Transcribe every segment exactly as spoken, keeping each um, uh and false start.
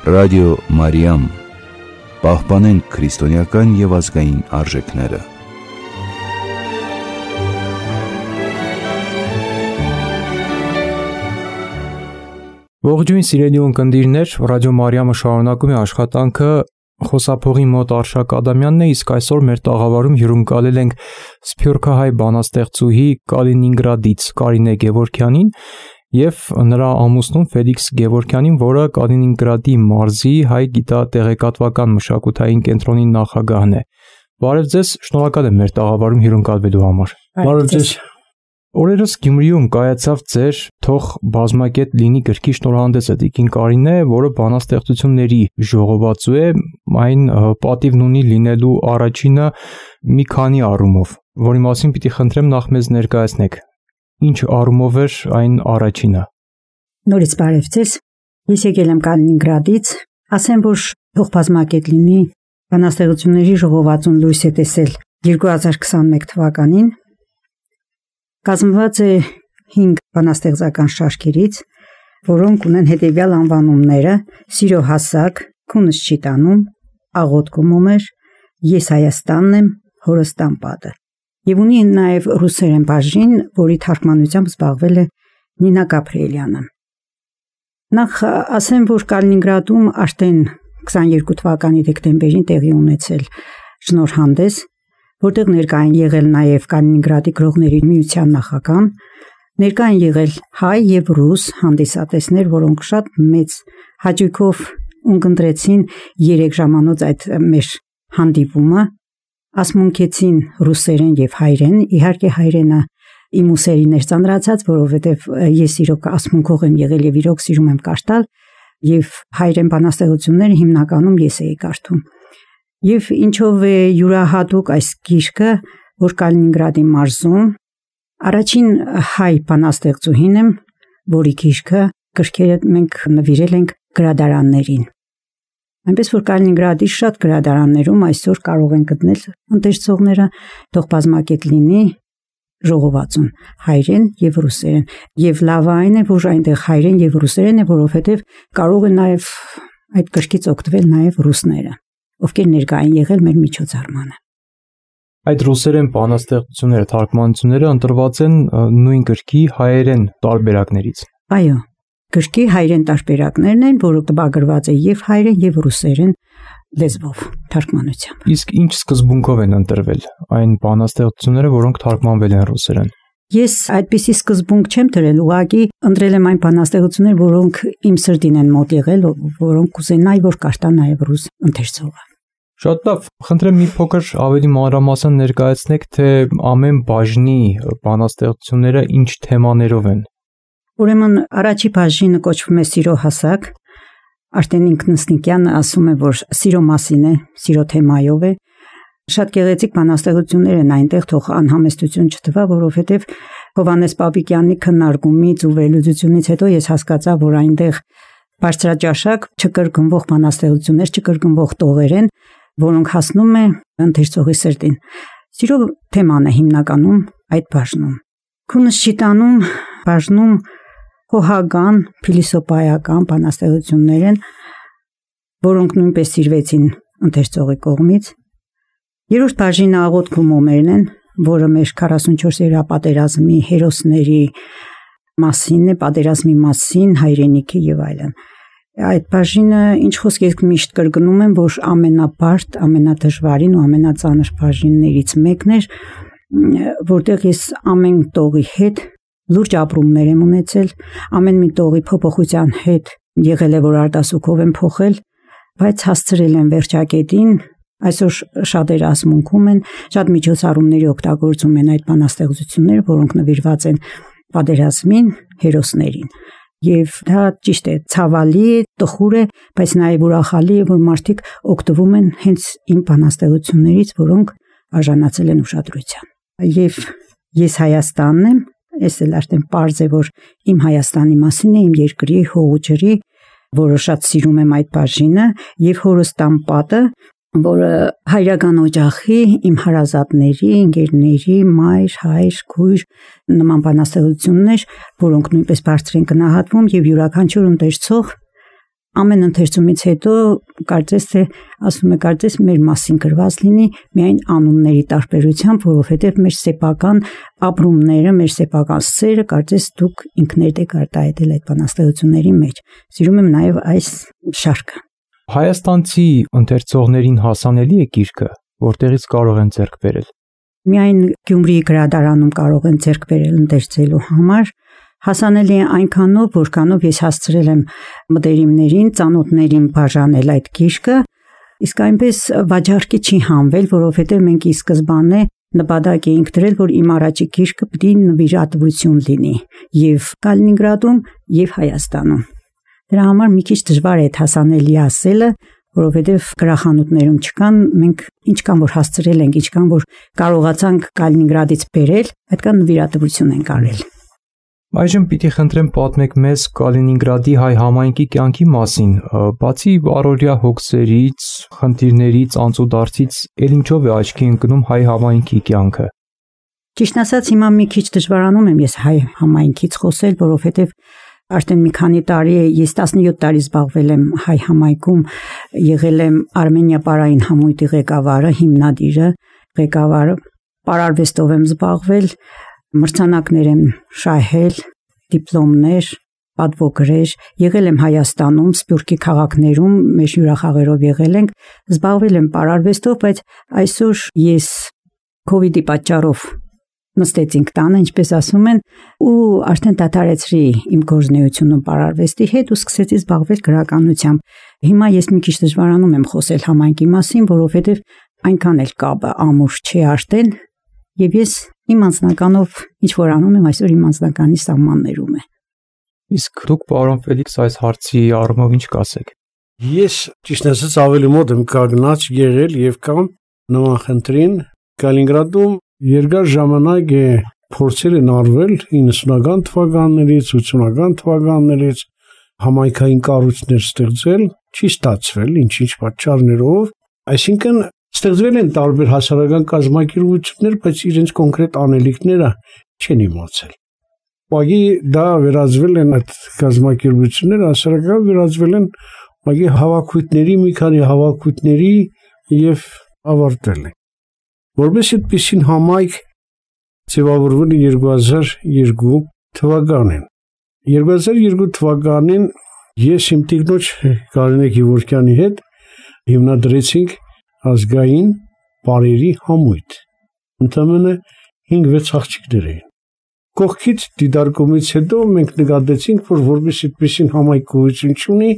Ռադիո Մարիամ, պահպանենք քրիստոնեական և ազգային արժեքները։ Ողջույն սիրելի ունկնդիրներ, Ռադիո Մարիամը շարունակում է աշխատանքը, խոսափողի մոտ Արշակ Ադամյանն է, իսկ այսօր մեր տաղավարում հյուրընկալել ենք սփյուռքահայ բանաստեղծուհի Կալինինգրադից Կարինե Գևորգյանին և նրա ամուսնուն Ֆելիքս Գևորգյանին, որը Կալինինգրադի մարզի հայ գիտատեղեկատվական մշակութային կենտրոնի նախագահն է։ Բարև ձեզ, շնորհակալ եմ մեր տաղավարում հյուրընկալվելու համար։ Բարև ձեզ։ Օրերս Գյումրիում կայացավ ձեր «Թող բազմակետ լինի» գրքի շնորհանդեսը տիկին Կարինե, որը բանաստեղծությունների ժողովածու է, այն պատիվն ունի լինելու առաջինը մի քանի առումով, որի մասին պիտի խնդրեմ նախ մեզ ներկայացնեք։ Ինչ առումով էր այն առաջինը։ Նորից բարև ձեզ։ Ես եկել եմ Կալինինգրադից, ասեմ, որ «Թող բազմակետ լինի» բանաստեղծությունների ժողովածուն լույս է տեսել երկու հազար քսաներկու թվականին։ Կազմված է հինգ բանաստեղծական շարքերից, որոնք ունեն հետևյալ անվանումները՝ «Սիրո հասակ», «Քունս չի տանում», «Աղոթքում ումեր», «Ես Հայաստանն եմ», «Հորս տան պատը» և ունի նաև ռուսերեն բաժին, որի թարգմանությամբ զբաղվել է Նինա Գաբրիելյանը։ Նախ ասեմ, որ Կալինինգրադում արդեն քսաներկու թվականի դեկտեմբերին տեղի ունեցել շնորհանդես, որտեղ ներկա են եղել նաև Կալինինգրադի գրողների միության նախագահան, ներկա են եղել հայ և ռուս հանդիսատեսներ, որոնք շատ մեծ հաճույքով ունկնդրեցին երեք ժամանոց այդ մեր հանդիպումը, ասմունքեցին ռուսերեն և հայերեն, իհարկե հայերենը իմ ուսերին էր ծանրացած, որովհետև ես իրոք ասմունքող եմ եղել և իրոք սիրում եմ կարդալ, և հայերեն բանաստեղծությունները հիմնականում ես էի կարդում։ Եվ ինչով է յուրահատուկ այս գիրքը, որ Կալինինգրադի մարզում առաջին հայ բանաստեղծուհին եմ, որի գիրքը գրքերը մենք նվիրել ենք գրադարաններին։ Այնպես որ Կալինինգրադի շատ գրադարաններում այսօր կարող են գտնել ընթերցողները «Թող բազմակետ լինի» ժողովածուն հայերեն և ռուսերեն։ Եվ լավը այն է, որ այնտեղ հայերեն և ռուսերեն է, որովհետև կարող են նաև այդ գրքից օգտվել նաև ռուսները, ովքեր ներկա են եղել մեր միջոցառմանը։ Այդ ռուսերեն բանաստեղծությունները, թարգմանությունները ընտրված են նույն գրքի հայերեն տարբերակներից։ Այո, գրքի հայերեն տարբերակներն են, որը տպագրված է և հայերեն և ռուսերեն լեզվով թարգմանությամբ։ Իսկ ինչ սկզբունքով են ընտրվել այն բանաստեղծությունները, որոնք թարգմանվել են ռուսերեն։ Ես այդպիսի սկզբունք չեմ դրել, ուղղակի ընտրել եմ այն բանաստեղծությունները, որոնք իմ սրտին են մոտ եղել, որոնք կուզենայի, որ կարդա նաև ռուս ընթերցողը։ Շատ լավ, խնդրեմ մի փոքր ավելի մանրամասն ներկայացնեք, թե ամեն բաժնի բանաստեղծությունները ինչ թեմաներով են։ Ուրեմն առաջի բաժինը կոչվում է «Սիրո հասակ», արդեն Ինքնըստինքյանը ասում է, որ սիրո մասին է, սիրո թեմայով է։ Շատ գեղեցիկ բանաստեղծություններ են այնտեղ, թող անհամեստություն չթվա, որովհետև Հովհաննես Պապիկյանի քննարկումից ու վերլուծությունից հետո ես հասկացա, որ այնտեղ բարձրաճաշակ չկրկնվող բանաստեղծություններ, չկրկնվող տողեր են, որոնք հասնում է ընթերցողի սրտին։ Սիրո թեման է հիմնականում այդ բաժնում։ Քունս չի տանում բաժնում հոհագան, փիլիսոփայական բանաստեղծություններ են, որոնք նույնպես սիրվեցին ընթերցողի կողմից։ Երրորդ բաժինը աղոթքում ումերն են, որը մեր քառասունչորսերորդ պատերազմի հերոսների մասին է, պատերազմի մասին, հայրենիքի և այլն։ Այդ բաժինը, ինչ խոսք ես միշտ կրկնում եմ, որ ամենաբարդ, ամենադժվարին ու ամենածանր բաժիններից մեկն էր, որտեղ ես ամեն տողի հետ լուրջ ապրումներ եմ ունեցել, ամեն մի տողի փոփոխության հետ եղել է, որ արտասուքով եմ փոխել, բայց հասցրել եմ վերջակետին, այսօր շատերը ասմունքում են, շատ միջոցառումների օգտագործում են այդ բանաստեղծությունները, որոնք նվիրված են պատերազմին, հերոսներին։ Եվ դա ճիշտ է, ցավալի է, տխուր է, բայց նաև ուրախալի է, որ մարդիկ օգտվում են հենց իմ բանաստեղծություններից, որոնք արժանացել են ուշադրության։ Եվ ես Հայաստանն եմ, ես էլ արդեն պարզ է, որ իմ Հայաստանի մասին է, իմ երկրի, հողու ջրի, որը շատ սիրում եմ այդ բաժինը, եւ Հորս տան պատը, որը հայրական օջախի, իմ հարազատների, ընկերների, մայր, հայր, քույր նման բանաստեղծություններ, որոնք նույնպես բարձր են գնահատվում եւ յուրաքանչյուր ընթերցող ամեն ընթերցումից հետո կարծես թե ասում է կարծես մեր մասին գրված լինի միայն անունների տարբերությամբ, որովհետև մեր սեփական ապրումները, մեր սեփական սերը կարծես դուք ինքներդ եք արտահայտել այդ բանաստեղծությունների մեջ։ Սիրում եմ նաև այս շարքը։ Հայաստանցի ընթերցողներին հասանելի է գիրքը, որտեղից կարող են ձեռք բերել։ Միայն Գյումրիի գրադարանում կարող են ձեռք բերել ընթերցելու համար, հասանելի է այնքանով, որքանով ես հասցրել եմ մտերիմներին, ծանոթներին բաժանել այդ գիրքը, իսկ այնպես վաճառքի չի հանվել, որովհետև մենք ի սկզբանե նպատակ էինք դրել, որ իմ առաջի գիրքը պիտի նվիրատվություն լինի եւ Կալինինգրադում եւ Հայաստանում։ Դրա համար մի քիչ դժվար է հասանելի ասելը, որովհետև գրախանութներում չկան, մենք ինչքան որ հասցրել ենք, ինչքան որ կարողացանք Կալինինգրադից բերել, այդքան նվիրատվություն ենք արել։ Այժմ պիտի խնդրեմ պատմեք մեզ Կալինինգրադի հայ համայնքի կյանքի մասին, բացի առօրյա հոգսերից, խնդիրներից, անցուդարձից, ել ինչով է աչքի ընկնում հայ համայնքի կյանքը։ Ճիշտ ասած, հիմա մի քիչ դժվարանում եմ ես հայ համայնքից խոսել, որովհետև արդեն մի քանի տարի է, ես տասնյոթ տարի զբաղվել եմ հայ համայնքում, եղել եմ Արմենիա պարային համույթի ղեկավարը, հիմնադիրը, ղեկավարը, պարարվեստով եմ զբաղվել, մրցանակներ եմ շահել, դիպլոմներ, պատվոգրեր, եղել եմ Հայաստանում, Սփյուռքի քաղաքներում, մեր հյուրախաղերով եղել ենք, զբաղվել եմ պարարվեստով, բայց այսօր ես COVID-ի պատճառով նստեցինք տանը, ինչպես ասում են, ու արդեն դադարեցրի իմ գործունեությունը պարարվեստի հետ ու սկսեցի զբաղվել գրականությամբ։ Հիմա ես մի քիչ դժվարանում եմ խոսել համայնքի մասին, որովհետև այնքան էլ կապը ամուր չի արդեն, եւ ես իմ անձնականով ինչ որ անում եմ, այսօր իմ անձնականի սահմաններում է։ Իսկ դուք, պարոն Ֆելիքս, այս հարցի առումով ինչ կասեք։ Ես ճիշտ ասած ավելի մոտ եմ կանգնած եղել եւ կամ նման խնդրին Կալինինգրադում երկար ժամանակ է փորձել են արվել իննսունական թվականներից, ութսունական թվականներից համայնքային կառույցներ ստեղծել, չի ստացվել ինչ-ինչ պատճառներով, այսինքն ստեղծվել են տարբեր հասարակական կազմակերպություններ, բայց իրենց կոնկրետ անելիքները չեն իմացել։ Ուղղակի դա վերածվել են այդ կազմակերպությունները, հասարակական վերածվել են ուղղակի հավաքույթների, մի քանի հավաքույթների եւ ավարտել են։ Որպես այդպիսին համայնք ձևավորվել է երկու հազար երկու թվականին։ երկու հազար երկու թվականին ես իմ տիկնոջ Կարինե Գևորգյանի հետ հիմնադրեցինք ազգային բարերի համույթ։ Ընդամենը հինգ-վեց աղջիկներ էին։ Կողքից դիտարկումից հետո մենք նկատեցինք, որ որպես այդպիսին համայնք գոյություն ունի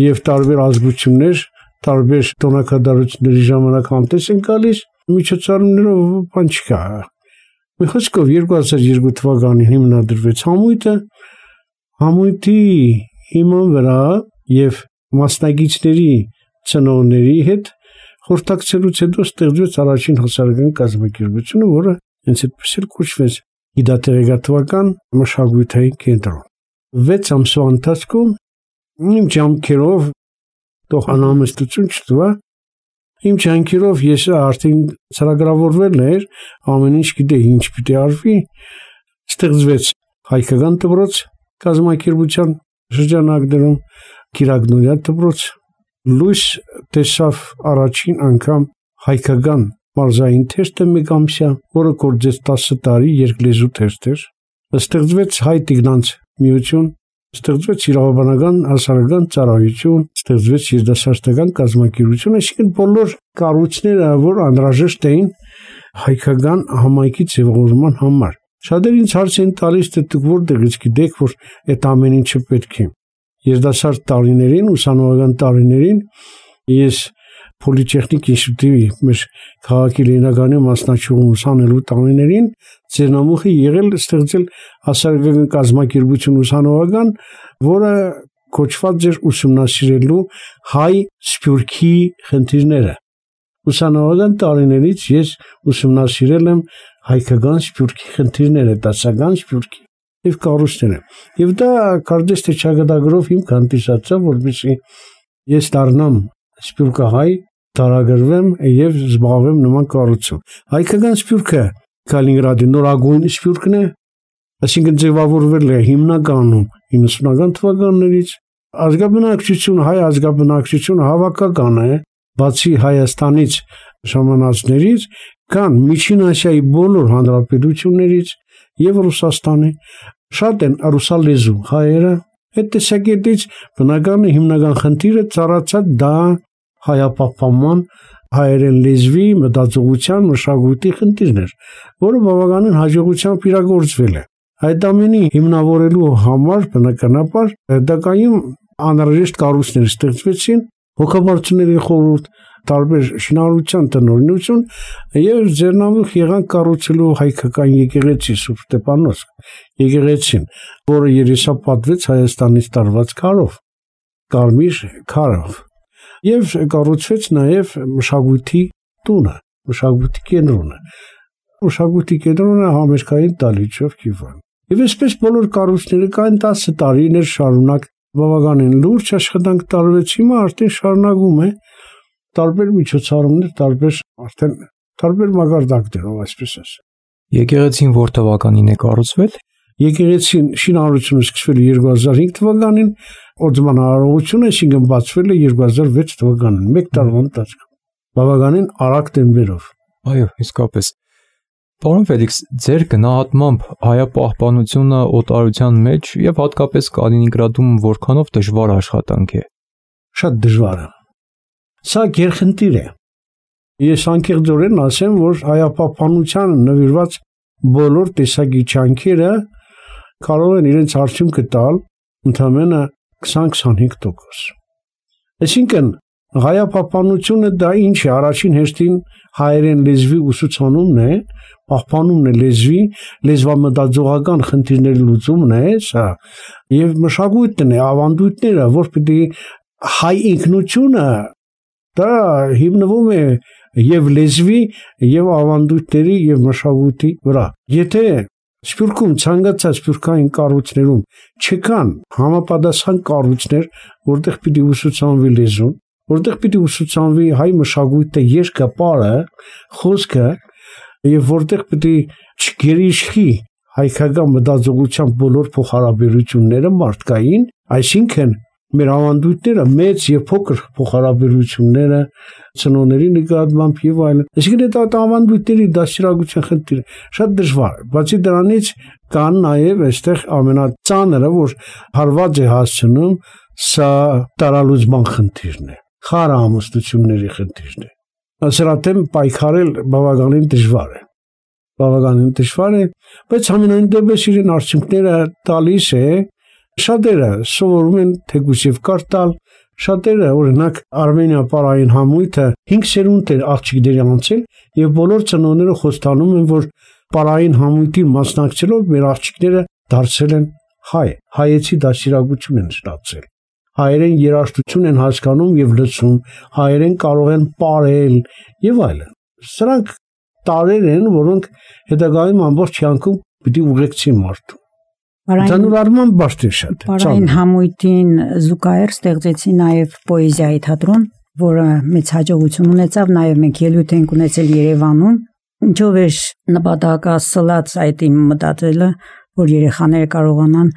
եւ տարբեր ազգություններ, տարբեր տոնակատարությունների ժամանակ համտես են գալիս, միջոցառումներով բան չկա։ Մի խոսքով երկու հազար երկու թվականին հիմնադրվեց համույթը, համույթի հիման վրա եւ մասնագետների ծնողների հետ խորհրդակցելուց հետո ստեղծվեց առաջին հասարակական կազմակերպությունը, որը հենց այդպես էլ կոչվեց Գիտատեղեկատվական մշակութային կենտրոն։ վեց ամսվա ընթացքում իմ ջանքերով թող անհամեստություն չտվա, իմ ջանքերով ես արդեն ծրագրավորվել էր, ամեն ինչ գիտեի ինչ պիտի արվի, ստեղծվեց հայկական դպրոց կազմակերպության շրջանակներում, Կիրակնորյա դպրոց, լույս տեսավ առաջին անգամ հայկական մարզային թեստը մեկամսյա, որը կորձեց տասը տարի երկլեզու թեստ էր, ստեղծվեց հայ տիկնանց միություն, ստեղծվեց իրավաբանական հասարակական ծառայություն, ստեղծվեց երիտասարդական կազմակերպություն, այսինքն բոլոր կառույցները, որ անհրաժեշտ էին հայկական համայնքի ձևավորման համար։ Շատերը ինձ հարց են տալիս, թե դուք որտեղից գիտեք, որ այդ ամեն ինչը պետք է։ Երիտասարդ տարիներին, ուսանողական տարիներին ես Պոլիտեխնիկ ինստիտուտի մեր քաղաքի Լենինականի մասնաճյուղում ուսանելու տարիներին ձեռնամուխ է եղել ստեղծել հասարակական կազմակերպություն ուսանողական, որը կոչված էր ուսումնասիրելու հայ սփյուռքի խնդիրները։ Ուսանողական տարիներից ես ուսումնասիրել եմ հայկական սփյուռքի խնդիրները, դասական սփյուռքի եւ կառույցները։ Եվ դա կարծես թե ճակատագրով իմ հանդիսացավ, որպեսզի ես դառնամ սփյուռքահայ, տարագրվեմ եւ զբաղվեմ նման կառույցով։ Հայկական սփյուռքը Կալինինգրադի նորագույն սփյուռքն է, այսինքն ձևավորվել է հիմնականում իննսունական թվականներից, ազգաբնակչությունը, հայ ազգաբնակչությունը հավաքական է, բացի Հայաստանից ժամանածներից, կան Միջին Ասիայի բոլոր հանրապետություններից եւ Ռուսաստանի, շատ են ռուսալեզու հայերը, այդ տեսակետից բնական հիմնական խնդիրը ծառացած դա հայապահպանման, հայերեն լեզվի, մտածողության, մշակույթի խնդիրներ, որը բավականին հաջողությամբ իրագործվել է։ Այդ ամենի հիմնավորելու համար բնականաբար հետագայում անհրաժեշտ կառույցներ ստեղծվեցին, հոգաբարձուների խորհուրդ, տարբեր շինարարության տնօրինություն եւ ձեռնամուխ եղան կառուցելու հայկական եկեղեցի Սուրբ Ստեփանոս եկեղեցին, որը երեսապատվեց Հայաստանից տարված քարով, կարմիր քարով, եւ կառուցվեց նաեւ մշակույթի տունը, մշակույթի կենտրոնը, մշակույթի կենտրոնը համերգային դալիճով Կիևան։ Եվ այսպես բոլոր կառույցները կային տասը տարիներ շարունակ բավականին լուրջ աշխատանք տարվեց, հիմա արդեն շարունակվում է տարբեր միջոցառումներ, տարբեր արդեն տարբեր մակարդակներով, այսպես ասեմ։ Եկեղեցին որ թվականին է կառուցվել։ Եկեղեցին շինարարությունը սկսվել է երկու հազար հինգ թվականին, օծման արարողությունը այսինքն բացվել է երկու հազար վեց թվականին, մեկ տարվա ընթացքում։ Բավականին արագ տեմպերով։ Այո, իսկապես։ Պարոն Ֆելիքս, ձեր գնահատմամբ հայապահպանությունը օտարության մեջ եւ հատկապես Կալինինգրադում որքանով դժվար աշխատանք է։ Շատ դժվար է։ Սա գերխնդիր է։ Ես անկեղծորեն ասեմ, որ հայապահպանությանը նվիրված բոլոր տեսակի ջանքերը կարող են իրենց արդյունքը տալ ընդամենը քսան-քսանհինգ տոկոս։ Այսինքն հայապահպանությունը դա ինչ է, առաջին հերթին հայերեն լեզվի ուսուցանումն է, պահպանումն է լեզվի, լեզվամտածողական խնդիրների լուծումն է, սա, եւ մշակույթն է, ավանդույթները, որ պիտի հայ ինքնությունը դա հիմնվում է եւ լեզվի, եւ ավանդույթների, եւ մշակույթի վրա։ Եթե Սփյուռքում ցանկացած սփյուռքային կառույցներում չկան համապատասխան կառույցներ, որտեղ պիտի ուսուցանվի լեզուն, որտեղ պիտի ուսուցանվի հայ մշակույթը, երկապարը, խոսքը, եւ որտեղ պիտի չգերիշխի հայկական մտածողության բոլոր փոխհարաբերությունները մարդկային, այսինքն մեր ավանդույթները մեծ եւ փոքր փոխհարաբերությունները ծնողների նկատմամբ եւ այլն, այսինքն այդ ավանդույթների դաստիարակության խնդիրը շատ դժվար է։ Բացի դրանից կան նաեւ այստեղ ամենածանրը, որ հարված է հասցնում, սա տարալուծման խնդիրն է, խարամստությունների խնդիրն է։ Ասրատեմ պայքարել բավականին դժվար է։ Բավականին դժվար է, բայց ամենայն դեպս իրեն արդյունքները տալիս է։ Շատերը սովորում են թեկուզ եւ կարտալ, շատերը օրինակ Արմենիա պարային համույթը հինգ սերունդ էր աղջիկների անցել եւ բոլոր ծնողները խոստանում են, որ պարային համույթին մասնակցելով մեր աղջիկները դարձել են հայ, հայեցի դաստիարակություն են ստացել, հայերեն երաժշտություն են հասկանում եւ լսում, հայերեն կարող են պարել եւ այլն։ Սրանք տարեր են, որոնք հետագայում ամբողջ կյանքում պիտի ուղեկցի մարդու։ Ցանուր արման բարձր շատ։ Պարային համույթին զուգահեռ ստեղծեցի նաև պոեզիայի թատրոն, որը մեծ հաջողություն ունեցավ, նաև մենք ելույթ ենք ունեցել Երևանում, ինչով էր նպատակասլաց այդ իմ մտածելը, որ երեխաները կարողանան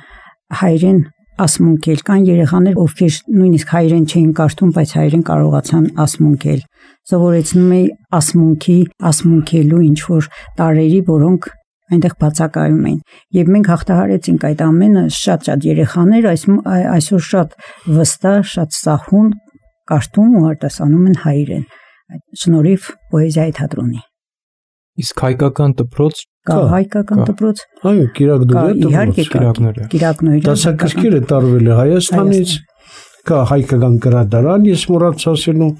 հայերեն ասմունքել, կան երեխաներ, ովքեր նույնիսկ հայերեն չէին կարդում, բայց հայերեն կարողացան ասմունքել։ Սովորեցնում էի ասմունքի, ասմունքելու ինչ որ տարրերի, որոնք այնտեղ բացակայում էին։ Եվ մենք հաղթահարեցինք այդ ամենը, շատ-շատ երեխաներ այս այսօր շատ վստահ, շատ սահուն կարդում ու արտասանում են հայերեն։ Այդ շնորհիվ պոեզիայի թատրոնի։ Իսկ հայկական դպրոց կա հայկական դպրոց։ Այո, Կիրակնորիա դպրոց։ Կիրակնորիա։ Կիրակնորիա։ Դասակարգերը տարվել է Հայաստանից, կա հայկական գրադարան, ես մոռացա ասելու,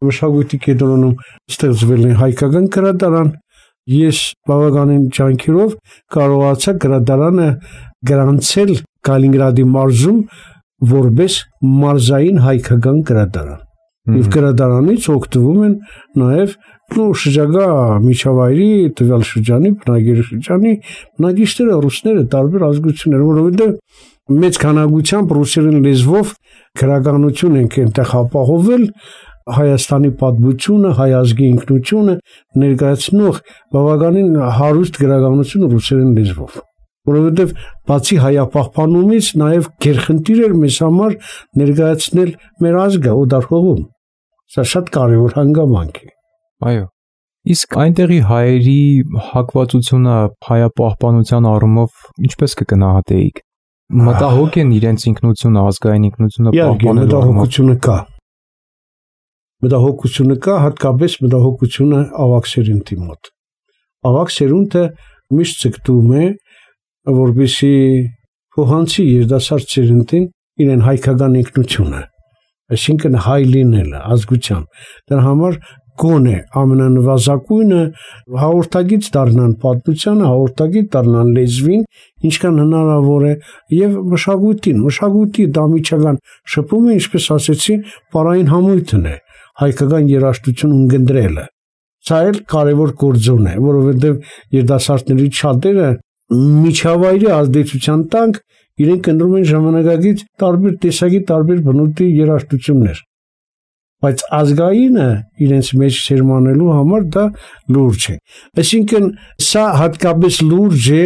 մշակույթի կենտրոնում ստեղծվել է հայկական գրադարան։ Ես բավականին ջանքերով կարողացա գրադարանը գրանցել Կալինինգրադի մարզում որպես մարզային հայկական գրադարան։ Եվ գրադարանից օգտվում են նաև նո շրջակա միջավայրի, տվյալ շրջանի, բնակելի շրջանի բնակիչները, ռուսները, տարբեր ազգություններ, որովհետև մեծ քանակությամբ ռուսերեն լեզվով գրականություն ենք այնտեղ ապահովել, Հայաստանի պատմությունը, հայ ազգի ինքնությունը ներկայացնող բավականին հարուստ գրականություն ռուսերեն լեզվով։ որովհետև բացի հայապահպանումից նաև գերխնդիր էր մեզ համար ներկայացնել մեր ազգը օտար հողում։ Սա շատ կարևոր հանգամանք է։ Այո։ Իսկ այնտեղի հայերի հակվածությունը հայապահպանության առումով ինչպես կգնահատեիք։ Մտահոգ են իրենց ինքնությունը, ազգային ինքնությունը պահպանելու առումով։ Կա։ Մտահոգությունը կա, հատկապես մտահոգությունը ավագ սերունդի մոտ։ Ավագ սերունդը միշտ ցկտում է, որպեսզի փոխանցի երիտասարդ սերունդին իրեն հայկական ինքնությունը, այսինքն հայ լինելը, ազգությամբ։ Դրա համար գոնե ամենանվազագույնը հաղորդագից դառնան պատմությանը, հաղորդագից դառնան լեզվին, ինչքան հնարավոր է, եւ մշակույթին, մշակույթի դամիջական շփումը, ինչպես ասեցի, պարային համույթն է, հայկական երաժշտություն ունկնդրելը։ Սա էլ կարևոր գործոն է, որովհետեւ երիտասարդների շատերը միջավայրի ազդեցության տակ իրենք ընտրում են ժամանակակից տարբեր տեսակի, տարբեր բնույթի երաժշտություններ։ Բայց ազգայինը իրենց մեջ սերմանելու համար դա լուրջ է։ Այսինքն սա հատկապես լուրջ է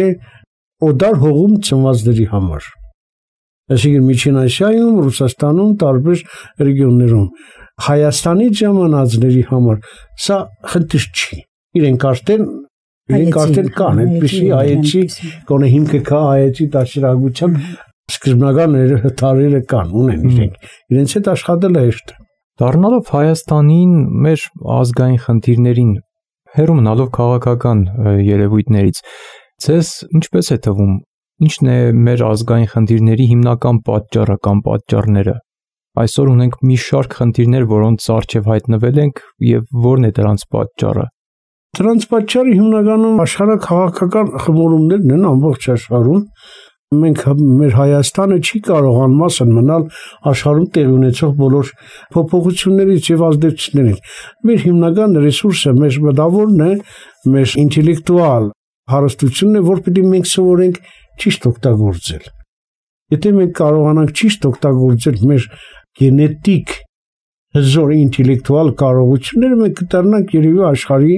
օտար հողում ծնվածների համար։ Այսինքն Միջին Ասիայում, Ռուսաստանում, տարբեր ռեգիոններում Հայաստանի ժամանածների համար սա խնդիր չի։ Իրենք արդեն իրենք արդեն կան, այդպիսի հայեցի, գոնե հիմքը կա հայեցի դաշնակցության սկզբնական տարիները կան, ունեն իրենք։ Իրենց հետ աշխատելը հեշտ է։ Դառնալով Հայաստանին մեր ազգային խնդիրներին, հեռու մնալով քաղաքական երևույթներից, ձեզ ինչպես է թվում, ինչն է մեր ազգային խնդիրների հիմնական պատճառը կամ պատճառները։ Այսօր ունենք մի շարք խնդիրներ, որոնց առջև հայտնվել ենք, եւ որն է դրանց պատճառը։ Դրանց պատճառը հիմնականում աշխարհաքաղաքական խմորումներն են ամբողջ աշխարհում։ Մենք մեր Հայաստանը չի կարող անմասն մնալ աշխարհում տեղի ունեցող բոլոր փոփոխություններից եւ ազդեցություններից։ Մեր հիմնական ռեսուրսը, մեր մտավորն է, մեր ինտելեկտուալ հարստությունն է, որ պիտի մենք սովորենք ճիշտ օգտագործել։ Եթե մենք կարողանանք ճիշտ օգտագործել մեր գենետիկ հզոր ինտելեկտուալ կարողությունները, մենք կդառնանք երևի աշխարհի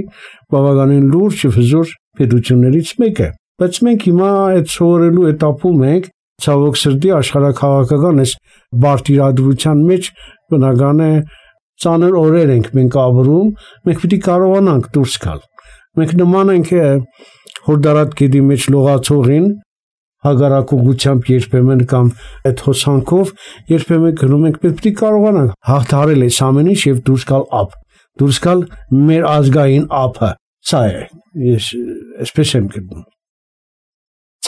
բավականին լուրջ եւ հզոր պետություններից մեկը։ Բայց մենք հիմա այդ սովորելու этаպում ենք, ցավոք սրտի աշխարհաքաղաքական այս բարտիրադրության մեջ բնական է ծանր օրեր ենք մենք ապրում, մենք պիտի կարողանանք դուրս գալ։ Մենք նման ենք հորդարատ գետի մեջ լողացողին, հագարակողությամբ երբեմն կամ այդ հոսանքով երբեմն գնում ենք, մենք պիտի կարողանանք հաղթահարել այս ամեն ինչ եւ դուրս գալ ափ, դուրս գալ մեր ազգային ափը։ Սա է, ես այսպես եմ գտնում։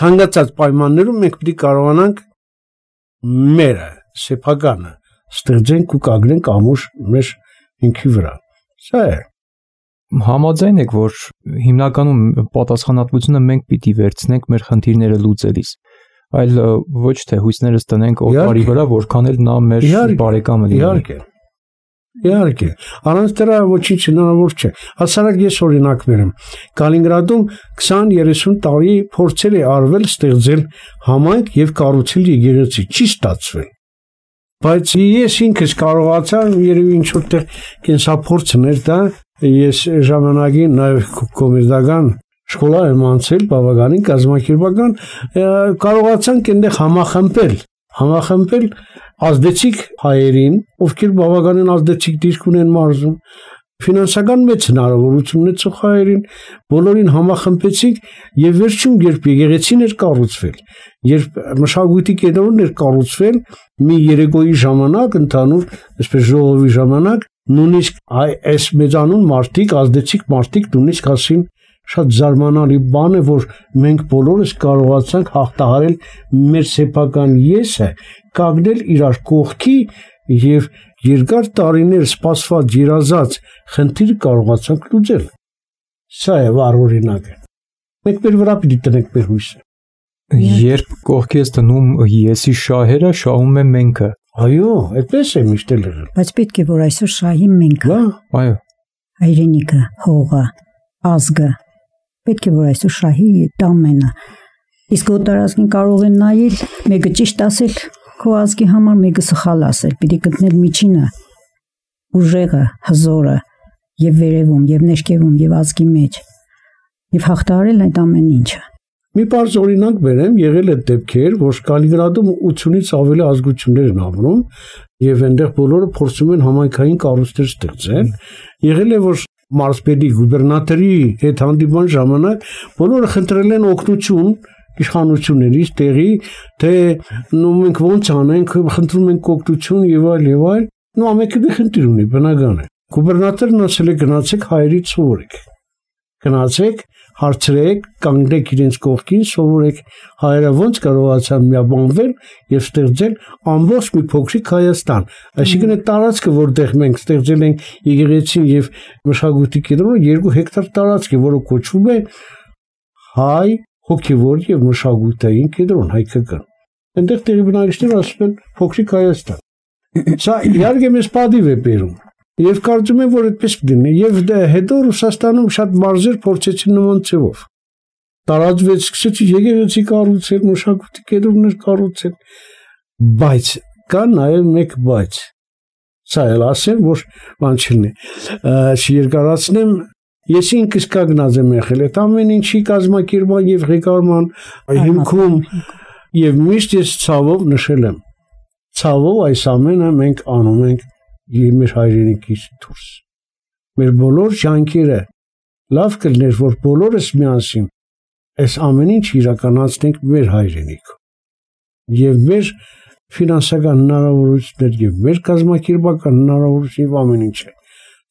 Ցանկացած պայմաններում մենք պիտի կարողանանք մերը, սեփականը ստեղծենք ու կագրենք ամուր մեր ինքի վրա։ Սա է։ Համաձայն եք, որ հիմնականում պատասխանատվությունը մենք պիտի վերցնենք մեր խնդիրները լուծելիս, այլ ոչ թե հույսներս տնենք օտարի վրա, որքան էլ նա մեր բարեկամը լինի։ Իհարկե։ Իհարկե, առանց դրա ոչինչ հնարավոր չէ։ Հասարակ ես օրինակ բերեմ։ Կալինինգրադում քսան-երեսուն տարի փորձեր է արվել ստեղծել համայնք եւ կառուցել եկեղեցի, չի ստացվել։ Բայց ես ինքս կարողացա երևի ինչ որտեղ կենսափորձներ դա, ես ժամանակին նաեւ կոմերցիական շկոլա եմ անցել, բավականին կազմակերպական, կարողացանք այնտեղ համախմբել, համախմբել ազդեցիկ հայերին, ովքեր բավականին ազդեցիկ դիրք ունեն մարզում, ֆինանսական մեծ հնարավորություն ունեցող հայերին, բոլորին համախմբեցինք եւ վերջում երբ եկեղեցին էր կառուցվել, երբ մշակույթի կենտրոնն էր կառուցվել, մի երեկոյի ժամանակ ընդհանուր, այսպես ժողովի ժամանակ, նույնիսկ այս մեծանուն մարդիկ, ազդեցիկ մարդիկ նույնիսկ ասին շատ զարմանալի բան է, որ մենք բոլորս կարողացանք հաղթահարել մեր սեփական եսը, կանգնել իրար կողքի եւ երկար տարիներ սպասված երազած խնդիր կարողացանք լուծել։ Սա է վառ օրինակը։ Մենք մեր վրա պիտի տնենք մեր հույսը։ Երբ կողքի ես տնում եսի շահերը, շահում է մենքը։ Այո, այդպես է միշտ եղել։ Բայց պետք է որ այսօր շահի մենքը։ Այո։ Հայրենիքը, հողը, ազգը պետք է որ այսօր շահի տամենը։ Իսկ օտարազգին կարող են նայել, մեկը ճիշտ ասել քո ազգի համար, մեկը սխալ ասել, պիտի գտնել միջինը, ուժեղը, հզորը, եւ վերևում, եւ ներքևում, եւ ազգի մեջ, եւ հաղթահարել այդ ամեն ինչը։ Մի բարձ օրինակ բերեմ, եղել է դեպքեր, որ Կալինինգրադում ութունից ավելի ազգություններ են ապրում եւ այնտեղ բոլորը փորձում են համայնքային կառույցներ ստեղծել։ Եղել է որ մարզպետի գուբերնատորի հետ հանդիպման ժամանակ բոլորը խնդրել են օգնություն իշխանություններից տեղի, թե նո մենք ոնց անենք, խնդրում ենք օգնություն եւ այլ եւ այլ։ Նո ամենքը մի խնդիր ունի, բնական է։ Գուբերնատորն ասել է գնացեք հայերից սովորեք։ Գնացեք, հարցրեք, կանգնեք իրենց կողքին, սովորեք հայերը ոնց կարողացան միաբանվել եւ ստեղծել ամբողջ մի փոքրիկ Հայաստան։ Այսինքն այդ տարածքը, որտեղ մենք ստեղծել ենք եկեղեցին եւ մշակույթի կենտրոնը, երկու հեկտար տարածք է, որը կոչվում է հայ հոգեվոր եւ մշակութային կենտրոն հայկական։ Այնտեղ տեղի բնակիչները ասում են փոքրիկ Հայաստան։ Սա իհարկե մեզ պատիվ է բերում։ Եվ կարծում եմ, որ այդպես դինի, եւ հետո Ռուսաստանում շատ մարզեր փորձեցին նման ձևով։ Տարածվեց, սկսեցի եկեղեցի կառուցել, մշակույթի կենտրոններ կառուցել, բայց կա նաեւ մեկ բայց։ Սա էլ ասեմ, որ բան չլինի։ Չերկարացնեմ, ես ինքս կանգնած եմ եղել այդ ամեն ինչի կազմակերպման եւ ղեկավարման հիմքում եւ միշտ ես ցավով նշել եմ։ Ցավով այս ամենը մենք անում ենք եւ մեր հայրենիքից դուրս։ Մեր բոլոր ջանքերը լավ կլներ, որ բոլորս միասին այս ամեն ինչ իրականացնենք մեր հայրենիքում։ Եվ մեր ֆինանսական հնարավորություններ եւ մեր կազմակերպական հնարավորություններ եւ ամեն ինչը։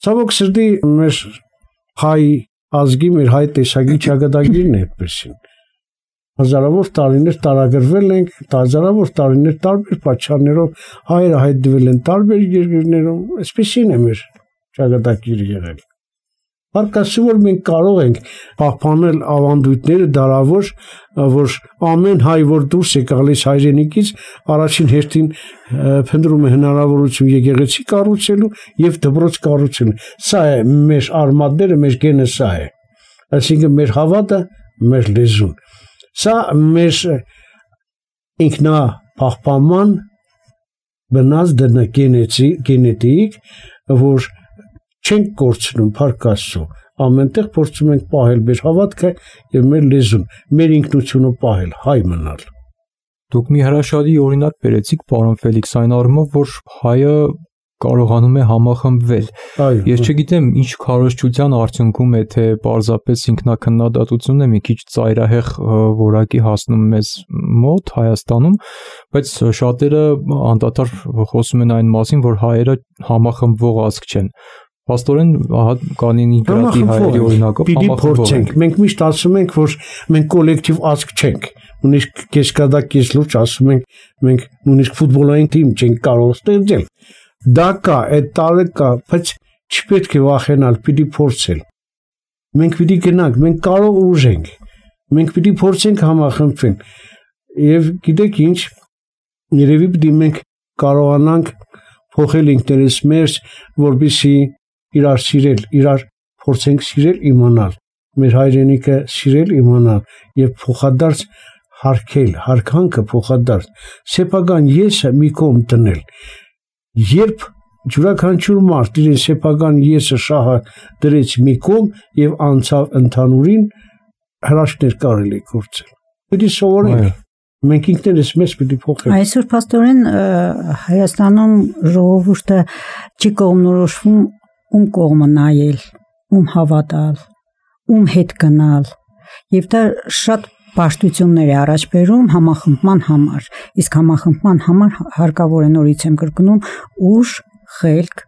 Ցավոք սրտի մեր հայ ազգի, մեր հայ տեսակի ճակատագիրն է այդպեսին։ Հազարավոր տարիներ տարագրվել ենք, հազարավոր տարիներ տարբեր պատճառներով հայերը հայտնվել են տարբեր երկրներում, այսպեսին է մեր ճակատագիրը եղել։ Բարկասու որ մենք կարող ենք պահպանել ավանդույթները դարավոր, որ ամեն հայ, որ դուրս է գալիս հայրենիքից, առաջին հերթին փնտրում է հնարավորություն եկեղեցի կառուցելու եւ դպրոց կառուցելու։ Սա է մեր արմատները, մեր գենը սա է։ Այսինքն մեր հավատը, մեր լեզուն։ Սա մեր ինքնա պահպանման բնած դնա գենետիկ, որ չենք կորցնում փառքաստու, ամենտեղ փորձում ենք պահել մեր հավատքը եւ մեր լեզուն, մեր ինքնությունը պահել, հայ մնալ։ Դուք մի հրաշալի օրինակ բերեցիք, պարոն Ֆելիքս, այն առումով, որ հայը կարողանում է համախմբվել։ Ես չգիտեմ, ինչ քարոզչության արդյունքում է, թե պարզապես ինքնակնդատությունն է մի քիչ ծայրահեղ որակի հասնում մեզ մոտ Հայաստանում, բայց շատերը անդադար խոսում են այն մասին, որ հայերը համախմբվող ազգ չեն։ Փաստորեն, ահա Կալինինգրադի հայերի օրինակով համախմբվող ենք։ Մենք միշտ ասում ենք, որ մենք կոլեկտիվ ազգ չենք։ Նույնիսկ կեսկադակ կես լուրջ ասում ենք, մենք նույնիսկ ֆուտբոլային թիմ չենք կարող ստեղծել։ Դա կա, այդ տարը կա, բայց չպետք է վախենալ, պիտի փորձել։ Մենք պիտի գնանք, մենք կարող ուժ ենք։ Մենք պիտի փորձենք համախմբվել։ Եվ գիտեք ինչ, երևի պիտի մենք կարողանանք փոխել ինքներս մեր, որպեսզի իրար սիրել, իրար փորձենք սիրել, իմանալ, մեր հայրենիքը սիրել, իմանալ եւ փոխադարձ հարգել, հարգանքը փոխադարձ, սեփական եսը մի կողմ դնել։ Երբ յուրաքանչյուր մարդ իր սեփական եսը շահը դրեց մի կողմ եւ անցավ ընդհանուրին, հրաշքներ կարելի է գործել։ Պետք է սովորենք։ Մենք ինքներս մեզ պետք է փոխենք։ Այսօր փաստորեն Հայաստանում ժողովուրդը չի կողմնորոշվում ում կողմը նայել, ում հավատալ, ում հետ գնալ, եւ դա շատ պաշտություններ է առաջ բերում համախմբման համար, իսկ համախմբման համար հարկավոր է, նորից եմ կրկնում, ուժ, խելք,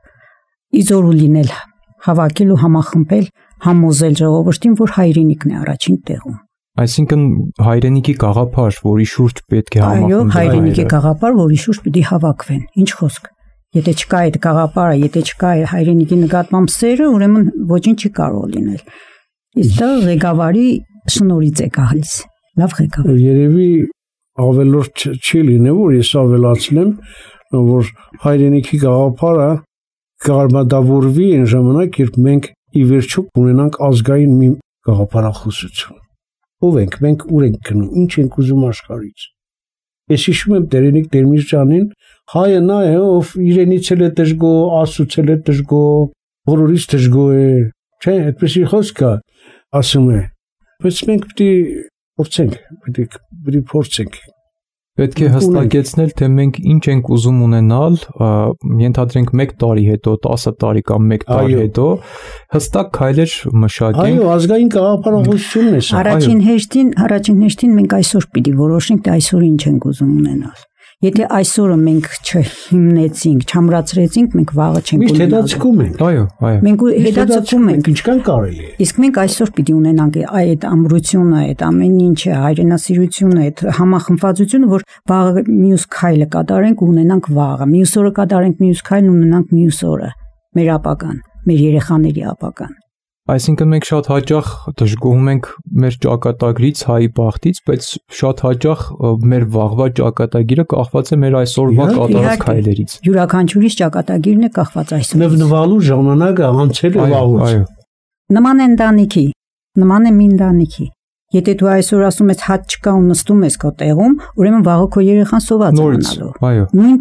իզորու լինել, հավաքել ու համախմբել, համոզել ժողովրդին, որ հայրենիքն է առաջին տեղում։ Այսինքն հայրենիքի գաղափար, որի շուրջ պետք է համախմբվել։ Այո, հայրենիքի գաղափար, որի շուրջ պիտի հավաքվեն։ Ինչ խոսք։ Եթե չկա այդ գաղափարը, եթե չկա հայրենիքի նկատմամբ սերը, ուրեմն ոչինչ չի կարող լինել։ Իսկ դա ղեկավարի շնորհիվ է գալիս։ Լավ ղեկավար։ Երևի ավելորդ չի լինի, որ ես ավելացնեմ, որ հայրենիքի գաղափարը կարմադավորվի այն ժամանակ, երբ մենք ի վերջո ունենանք ազգային մի գաղափարախոսություն։ Ով ենք, մենք ուր ենք գնում, ինչ ենք ուզում աշխարհից։ Ես հիշում եմ Տերենիկ Տերմիջյանին, հայը նա է, ով իրենից էլ է դժգո, Աստծուց էլ է դժգո, բոլորից դժգո է, չէ, այդպեսի խոսք կա, ասում է։ Բայց մենք պետք է Փորձենք, պիտի պիտի փորձենք։ Պետք է հստակեցնել, թե մենք ինչ ենք ուզում ունենալ, ենթադրենք մեկ տարի հետո, տասը տարի կամ մեկ տարի հետո, հստակ քայլեր մշակենք։ Այո, ազգային գաղափարախոսությունն է սա։ Առաջին հերթին, առաջին հերթին մենք այսօր պիտի որոշենք, թե այսօր ինչ ենք ուզում ունենալ։ Եթե այսօրը մենք չհիմնեցինք, չամրացրեցինք, մենք վաղը չենք ունենալու։ Միշտ հետաձգում ենք։ Այո, այո։ Մենք հետաձգում ենք, ինչքան կարելի է։ Իսկ մենք այսօր պիտի ունենանք այդ ամրությունը, այդ ամեն ինչը, հայրենասիրությունը, այդ համախմբվածությունը, որ վաղը մյուս քայլը կատարենք ու ունենանք վաղը։ Մյուս օրը կատարենք մյուս քայլն ու ունենանք մյուս օրը։ Մեր ապագան, մեր երեխաների ապագան։ Այսինքն մենք շատ հաճախ դժգոհում ենք մեր ճակատագրից, հայի բախտից, բայց շատ հաճախ մեր վաղվա ճակատագիրը կախված է մեր այսօրվա կատարած քայլերից։ Յուրաքանչյուրիս ճակատագիրն է կախված այսօր։ Նվնվալու ժամանակը անցել է վաղուց։ Այո։ Նման է ընտանիքի, նման է մի ընտանիքի։ Եթե դու այսօր ասում ես հատ չկա ու նստում ես քո տեղում, ուրեմն վաղը քո երեխան սոված է մնալու։ Այո։ Նույն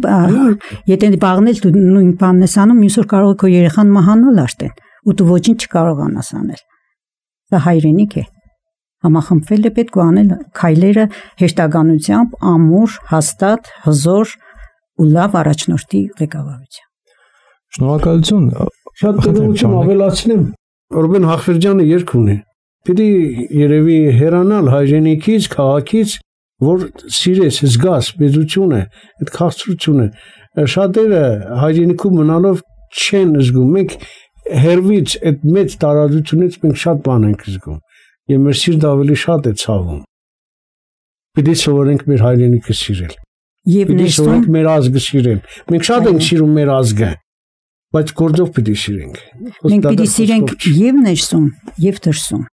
եթե բաղնել դու նույն բանն ես անում, մյուս օր կարող է քո երեխան մահանալ արդեն։ Ու դու ոչինչ չկարողանաս անել։ Դա հայրենիք է։ Համախմբվել է պետք է անել քայլերը հեշտականությամբ, ամուր, հաստատ, հզոր ու լավ առաջնորդի ղեկավարությամբ։ Շնորհակալություն։ Շատ դրություն ավելացնեմ, Ռուբեն Հախվերդյանը երգ ունի։ Պիտի երևի հեռանալ հայրենիքից, քաղաքից, որ սիրես, զգաս պետությունը, այդ քաղցրությունը։ Շատերը հայրենիքում մնալով չեն զգում։ Մենք հերվից այդ մեծ տարածությունից մենք շատ բան ենք զգում եւ մեր սիրտը ավելի շատ է ցավում։ Պիտի սովորենք մեր հայրենիքը սիրել։ Եվ ներսում մեր ազգը սիրել։ Մենք շատ ենք սիրում մեր ազգը, բայց գործով պիտի սիրենք։ Մենք պիտի սիրենք եւ ներսում, եւ դրսում։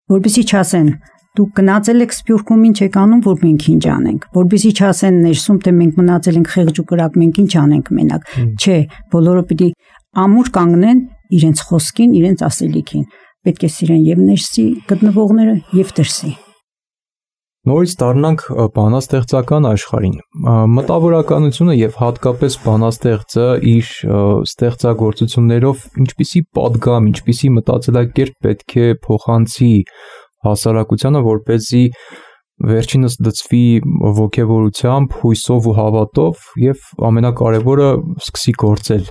Որպեսզի չասեն դուք գնացել եք Սփյուռքում ինչ եք անում, որ մենք ինչ անենք, որպեսզի չասեն ներսում, թե մենք մնացել ենք խեղճ ու կրակ, մենք ինչ անենք մենակ։ Չէ, բոլորը պիտի ամուր կանգնեն իրենց խոսքին, իրենց ասելիքին։ Պետք է սիրեն եւ ներսի գտնվողները եւ դրսի։ Նորից դառնանք բանաստեղծական աշխարհին։ Մտավորականությունը եւ հատկապես բանաստեղծը իր ստեղծագործություններով ինչպիսի պատգամ, ինչպիսի մտածելակերպ պետք է փոխանցի հասարակությանը, որպեսզի վերջինս դծվի ոգևորությամբ, հույսով ու հավատով եւ ամենակարևորը սկսի գործել։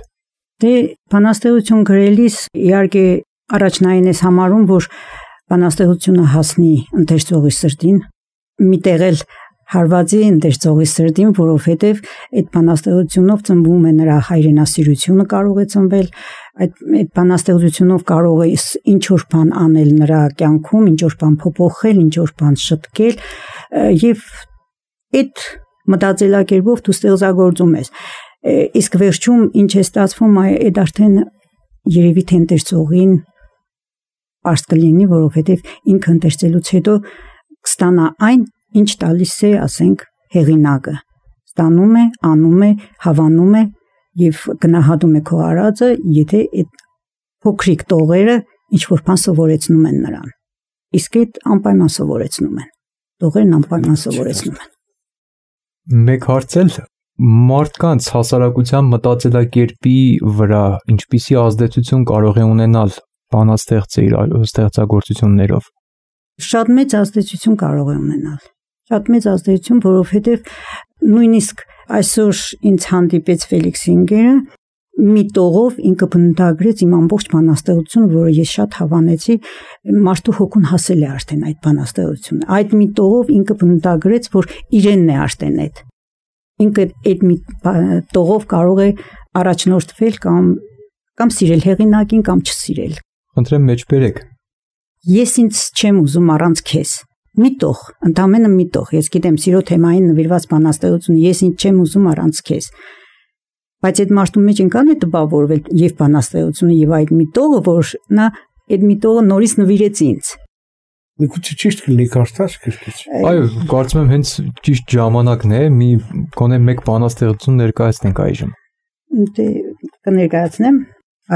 Դե բանաստեղծություն գրելիս իհարկե առաջնային ես համարում, որ բանաստեղծությունը հասնի ընթերցողի սրտին, միտեղ էլ հարվածի ընթերցողի սրտին, որովհետև այդ բանաստեղծությունով ծնվում է նրա հայրենասիրությունը կարող է ծնվել, այդ այդ բանաստեղծությունով կարող է ինչ որ բան անել նրա կյանքում, ինչ որ բան փոփոխել, ինչ որ բան շտկել եւ այդ մտածելակերպով դու ստեղծագործում ես։ Իսկ վերջում ինչ է ստացվում, այդ արդեն երևի թե ընթերցողին պարզ կլինի, որովհետև ինքը ընթերցելուց հետո կստանա այն, ինչ տալիս է, ասենք, հեղինակը։ Ստանում է, անում է, հավանում է եւ գնահատում է քո արածը, եթե այդ փոքրիկ տողերը ինչ որ բան սովորեցնում են նրան։ Իսկ այդ անպայման սովորեցնում են։ Տողերն անպայման սովորեցնում են։ Մեկ հարցել մարդկանց հասարակության մտածելակերպի վրա ինչպիսի ազդեցություն կարող է ունենալ բանաստեղծը իր ստեղծագործություններով։ Շատ մեծ ազդեցություն կարող է ունենալ։ Շատ մեծ ազդեցություն, որովհետև նույնիսկ այսօր ինձ հանդիպեց Ֆելիքս Ինգերը, մի տողով ինքը բնութագրեց իմ ամբողջ բանաստեղծությունը, որը ես շատ հավանեցի, մարդու հոգուն հասել է արդեն այդ բանաստեղծությունը։ Այդ մի տողով ինքը բնութագրեց, որ իրենն է արդեն այդ։ Ինքը այդ մի տողով կարող է առաջնորդվել կամ կամ սիրել հեղինակին կամ չսիրել։ Խնդրեմ մեջբերեք։ Ես ինձ չեմ ուզում առանց քեզ։ Մի տող, ընդամենը մի տող։ Ես գիտեմ սիրո թեմային նվիրված բանաստեղծություն, ես ինձ չեմ ուզում առանց քեզ։ Բայց այդ մարդու մեջ ինքան է տպավորվել եւ բանաստեղծությունը եւ այդ մի տողը, որ նա այդ մի տողը նորից նվիրեց ինձ։ Միգուցե ճիշտ կլինի կարդաս գրքից։ Այո, կարծում եմ հենց ճիշտ ժամանակն է, մի գոնե մեկ բանաստեղծություն ներկայացնենք այժմ։ Դե կներկայացնեմ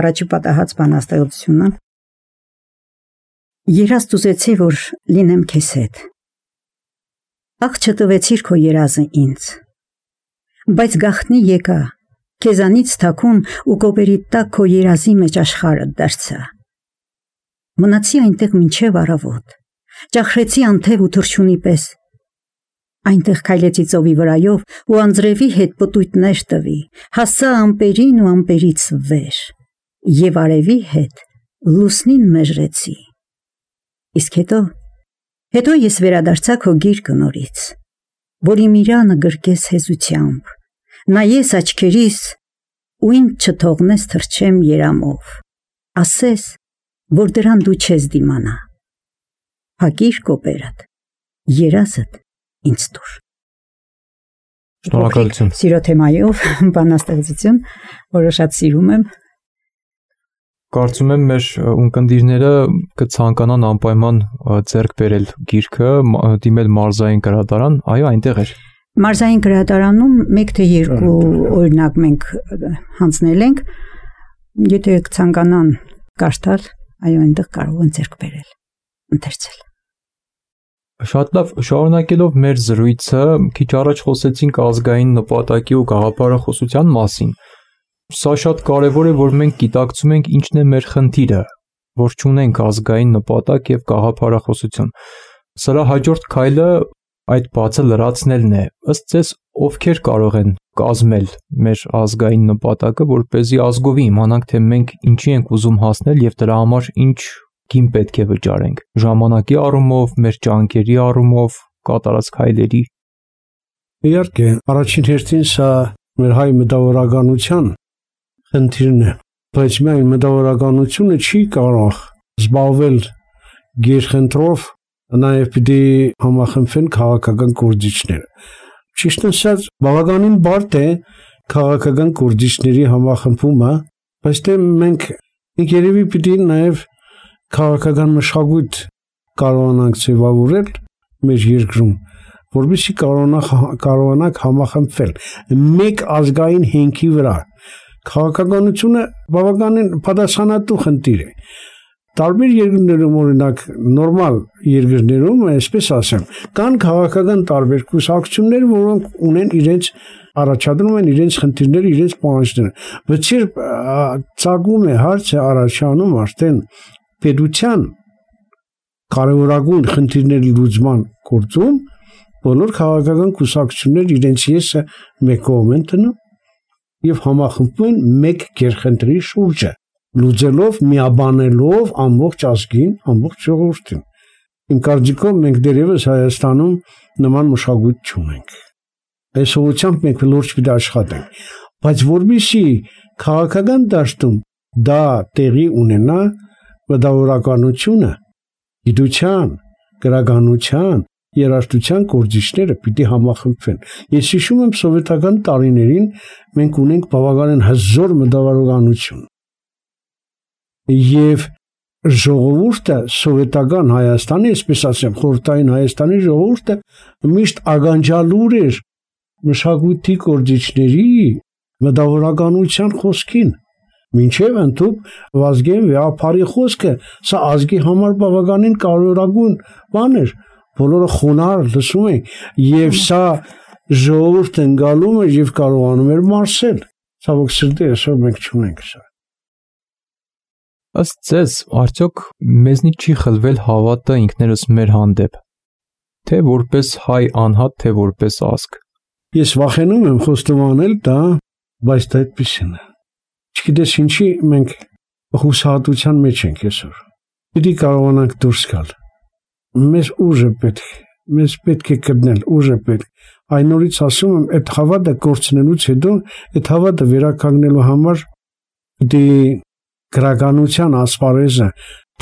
առաջի պատահած բանաստեղծությունը։ Երազ դուզեցի, որ լինեմ քեզ հետ։ Ախ չտվեցիր քո երազը ինձ։ Բայց գախնի եկա, քեզանից թաքուն ու կոպերի տակ քո երազի մեջ աշխարհը դարձա։ Մնացի այնտեղ մինչև առավոտ։ ճախրեցի անթև ու թռչունի պես։ Այնտեղ քայլեցի ծովի վրայով ու անձրևի հետ պտույտներ տվի, հասա ամպերին ու ամպերից վեր, եւ արևի հետ լուսնին մեժրեցի։ Իսկ հետո, հետո ես վերադարձա քո գիրկը նորից, որ իմ իրանը գրկես հեզությամբ, նայես աչքերիս ու ինձ չթողնես թռչեմ երամով, ասես, որ դրան դու չես դիմանա։ Հակիր կոպերդ, երազդ ինձ տուր։ Շնորհակալություն։ Սիրո թեմայով բանաստեղծություն, որը շատ սիրում եմ։ Կարծում եմ մեր ունկնդիրները կցանկանան անպայման ձեռք բերել գիրքը, դիմել մարզային գրադարան, այո, այնտեղ էր։ Մարզային գրադարանում մեկ թե երկու օրինակ մենք հանձնել ենք, եթե կցանկանան կարդալ, այո, այնտեղ կարող են ձեռք բերել, ընթերցել։ Շատ լավ, շարունակելով մեր զրույցը, քիչ առաջ խոսեցինք ազգային նպատակի ու գաղափարախոսության մասին։ Սա շատ կարևոր է, որ մենք գիտակցում ենք ինչն է մեր խնդիրը, որ չունենք ազգային նպատակ եւ գաղափարախոսություն։ Սրա հաջորդ քայլը այդ բացը լրացնելն է։ Ըստ ձեզ, ովքեր կարող են կազմել մեր ազգային նպատակը, որպեսզի ազգովի իմանանք, թե մենք ինչի ենք ուզում հասնել եւ դրա համար ինչ կին պետք է վճարենք ժամանակի առումով, մեր ջանքերի առումով, կատարած քայլերի։ Իհարկե, առաջին հերթին սա մեր հայ մտավորականության խնդիրն է, բայց միայն մտավորականությունը չի կարող զբաղվել գերխնդրով, նաև պիտի համախմբվեն քաղաքական գործիչները։ Ճիշտ ասած, բավականին բարդ է քաղաքական գործիչների համախմբումը, բայց դե մենք երևի պիտի նաև քաղաքական մշակույթ կարողանանք ձևավորել մեր երկրում, որովհետեւ կարողանանք համախմբվել մեկ ազգային հենքի վրա։ Քաղաքականությունը բավականին պատասխանատու խնդիր է։ Տարբեր երկրներում, օրինակ նորմալ երկրներում, այսպես ասեմ, կան քաղաքական տարբեր կուսակցություններ, որոնք ունեն իրենց առաջադրում են իրենց խնդիրները, իրենց պահանջները։ Բայց երբ ծագում է հարցը առաջանում արդեն պետության կարևորագույն խնդիրների լուծման գործում, բոլոր քաղաքական կուսակցություններ իրենց եսը մեկ կողմ են տնում եւ համախմբվում են մեկ գերխնդրի շուրջը, լուծելով, միաբանելով ամբողջ ազգին, ամբողջ ժողովրդին։ Իմ կարծիքով մենք դեռևս Հայաստանում նման մշակույթ չունենք։ Այս ուղղությամբ մենք լուրջ պիտի աշխատենք, բայց որպեսզի քաղաքական դաշտում դա տեղի ունենա, մտավորականությունը, գիտության, գրականության, երաժշտության գործիչները պիտի համախմբվեն։ Ես հիշում եմ սովետական տարիներին մենք ունենք բավականին հզոր մտավորականություն։ Եվ ժողովուրդը սովետական Հայաստանի, այսպես ասեմ, խորհրդային Հայաստանի ժողովուրդը միշտ ականջալուր էր մշակույթի գործիչների մտավորականության խոսքին։ Մինչև ընդհուպ Վազգեն Վեհապարի խոսքը, սա ազգի համար բավականին կարևորագույն բան էր, բոլորը խոնարհ լսում էին, եւ սա ժողովուրդը ընկալում էր եւ կարողանում էր մարսել։ Ցավոք սրտի այսօր մենք չունենք սա։ Ըստ ձեզ, արդյոք մեզնից չի խլվել հավատը ինքներս մեր հանդեպ, թե որպես հայ անհատ, թե որպես ազգ։ Ես վախենում եմ խոստովանել դա, բայց դա այդպեսին է։ Չգիտես ինչի մենք հուսահատության մեջ ենք այսօր։ Պիտի կարողանանք դուրս գալ։ Մեզ ուժը պետք, մեզ պետք է գտնել, ուժը պետք։ Այն նորից ասում եմ, այդ հավատը կորցնելուց հետո, այդ հավատը վերականգնելու համար պիտի գրականության ասպարեզը,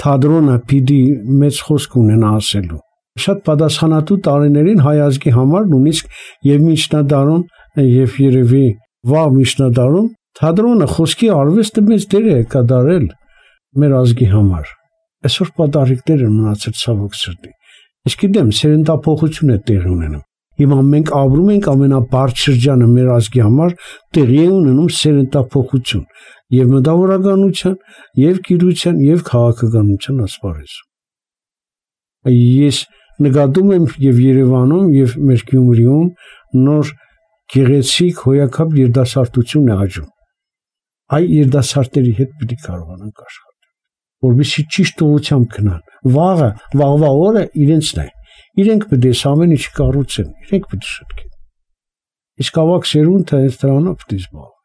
թատրոնը պիտի մեծ խոսք ունենա ասելու։ Շատ պատասխանատու տարիներին հայ ազգի համար նույնիսկ եւ միջնադարում եւ երևի վաղ միջնադարում թատրոնը խոսքի արվեստը մեծ դեր է կատարել մեր ազգի համար։ Այսօր պատահիկներ են մնացել ցավոք սրտի։ Ես գիտեմ, սերնդափոխություն է տեղի ունենում։ Հիմա մենք ապրում ենք ամենաբարձ շրջանը մեր ազգի համար, տեղի է ունենում սերնդափոխություն եւ մտավորականության, եւ գիտության, եւ քաղաքականության ասպարեզում։ Ես նկատում եմ եւ Երևանում եւ մեր Գյումրիում նոր գեղեցիկ հոյակապ երիտասարդություն է աճում։ Այ երիտասարդների հետ պիտի կարողանանք աշխատել։ որովհետեւ ճիշտ ուղղությամբ գնան։ Վաղը, վաղվա օրը իրենցն է։ Իրենք պետք է ամեն ինչ կառուցեն, իրենք պետք է շտկեն։ Իսկ ավակ սերունդը այս դրանով պետք է զբաղվի։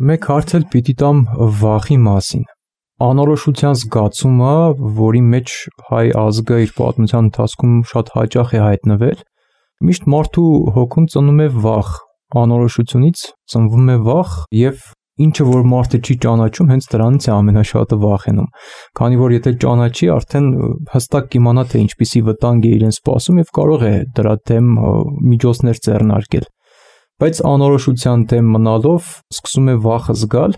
Մեկ հարց էլ պիտի տամ վախի մասին։ Անորոշության զգացումը, որի մեջ հայ ազգը իր պատմության ընթացքում շատ հաճախ է հայտնվել, միշտ մարդու հոգում ծնում է վախ, անորոշությունից ծնվում է վախ եւ ինչը որ մարդը չի ճանաչում, հենց դրանից է ամենաշատը վախենում։ Քանի որ եթե ճանաչի, արդեն հստակ կիմանա թե ինչպիսի վտանգ է իրեն սպասում եւ կարող է դրա դեմ միջոցներ ձեռնարկել։ Բայց անորոշության դեմ մնալով սկսում է վախը զգալ,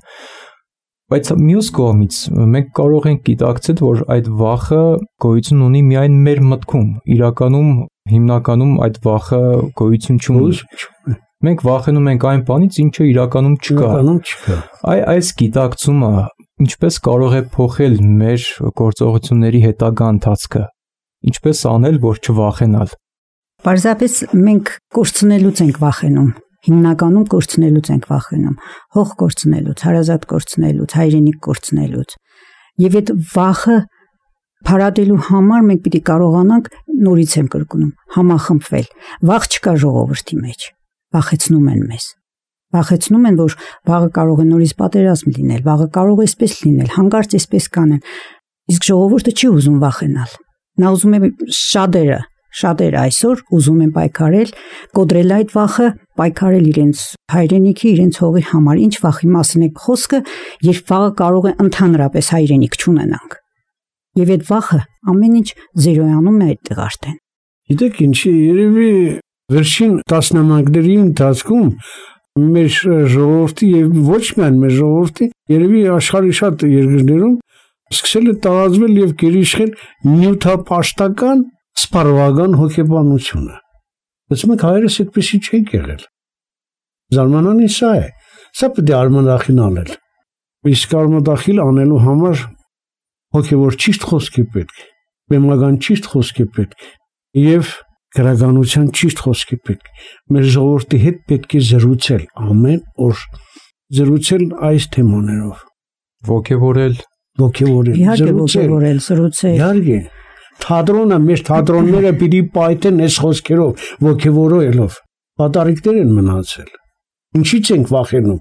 բայց մյուս կողմից մենք կարող ենք գիտակցել, որ այդ վախը գոյություն ունի միայն մեր մտքում, իրականում հիմնականում այդ վախը գոյություն չունի։ Մենք վախենում ենք այն բանից, ինչը իրականում չկա։ Իրականում չկա։ Այ այս գիտակցումը ինչպես կարող է փոխել մեր գործողությունների հետագա ընթացքը։ Ինչպես անել, որ չվախենալ։ Պարզապես մենք կորցնելուց ենք վախենում։ Հիմնականում կորցնելուց ենք վախենում, հող կորցնելուց, հարազատ կորցնելուց, հայրենիք կորցնելուց։ Եվ այդ վախը փարատելու համար մենք պիտի կարողանանք, նորից եմ կրկնում, համախմբվել։ Վախ չկա ժողովրդի մեջ, վախեցնում են մեզ։ Վախեցնում են, որ վաղը կարող է նորից պատերազմ լինել, վաղը կարող է այսպես լինել, հանկարծ այսպես կանեն։ Իսկ ժողովուրդը չի ուզում վախենալ։ Նա ուզում է շատերը Շատերը այսօր ուզում են պայքարել, կոտրել այդ վախը, պայքարել իրենց հայրենիքի, իրենց հողի համար։ Ինչ վախի մասին է խոսքը, երբ վաղը կարող է ընդհանրապես հայրենիք չունենանք։ Եվ այդ վախը ամեն ինչ զերոյանում է այդտեղ արդեն։ Գիտեք ինչի, երևի վերջին տասնամյակների ընթացքում մեր ժողովրդի եւ ոչ միայն մեր ժողովրդի, երևի աշխարհի շատ երկրներում սկսել է տարածվել եւ գերիշխել նյութապաշտական սպառողական հոգեբանությունը։ Բայց մենք հայերս այդպեսի չենք եղել։ Զարմանալին սա է։ Սա պետք է արմատախիլ անել։ Իսկ արմատախիլ անելու համար հոգեվոր ճիշտ խոսք է պետք, բեմական ճիշտ խոսք է պետք եւ գրականության ճիշտ խոսք է պետք։ Մեր ժողովրդի հետ պետք է զրուցել ամեն օր, զրուցել այս թեմաներով։ Ոգևորել, ոգևորել, Իհարկե ոգևորել, զրուցել։ Իհարկե Թատրոնը, մեր թատրոնները պիտի պայթեն այս խոսքերով, ոգևորելով։ Պատառիկներ են մնացել։ Ինչից ենք վախենում։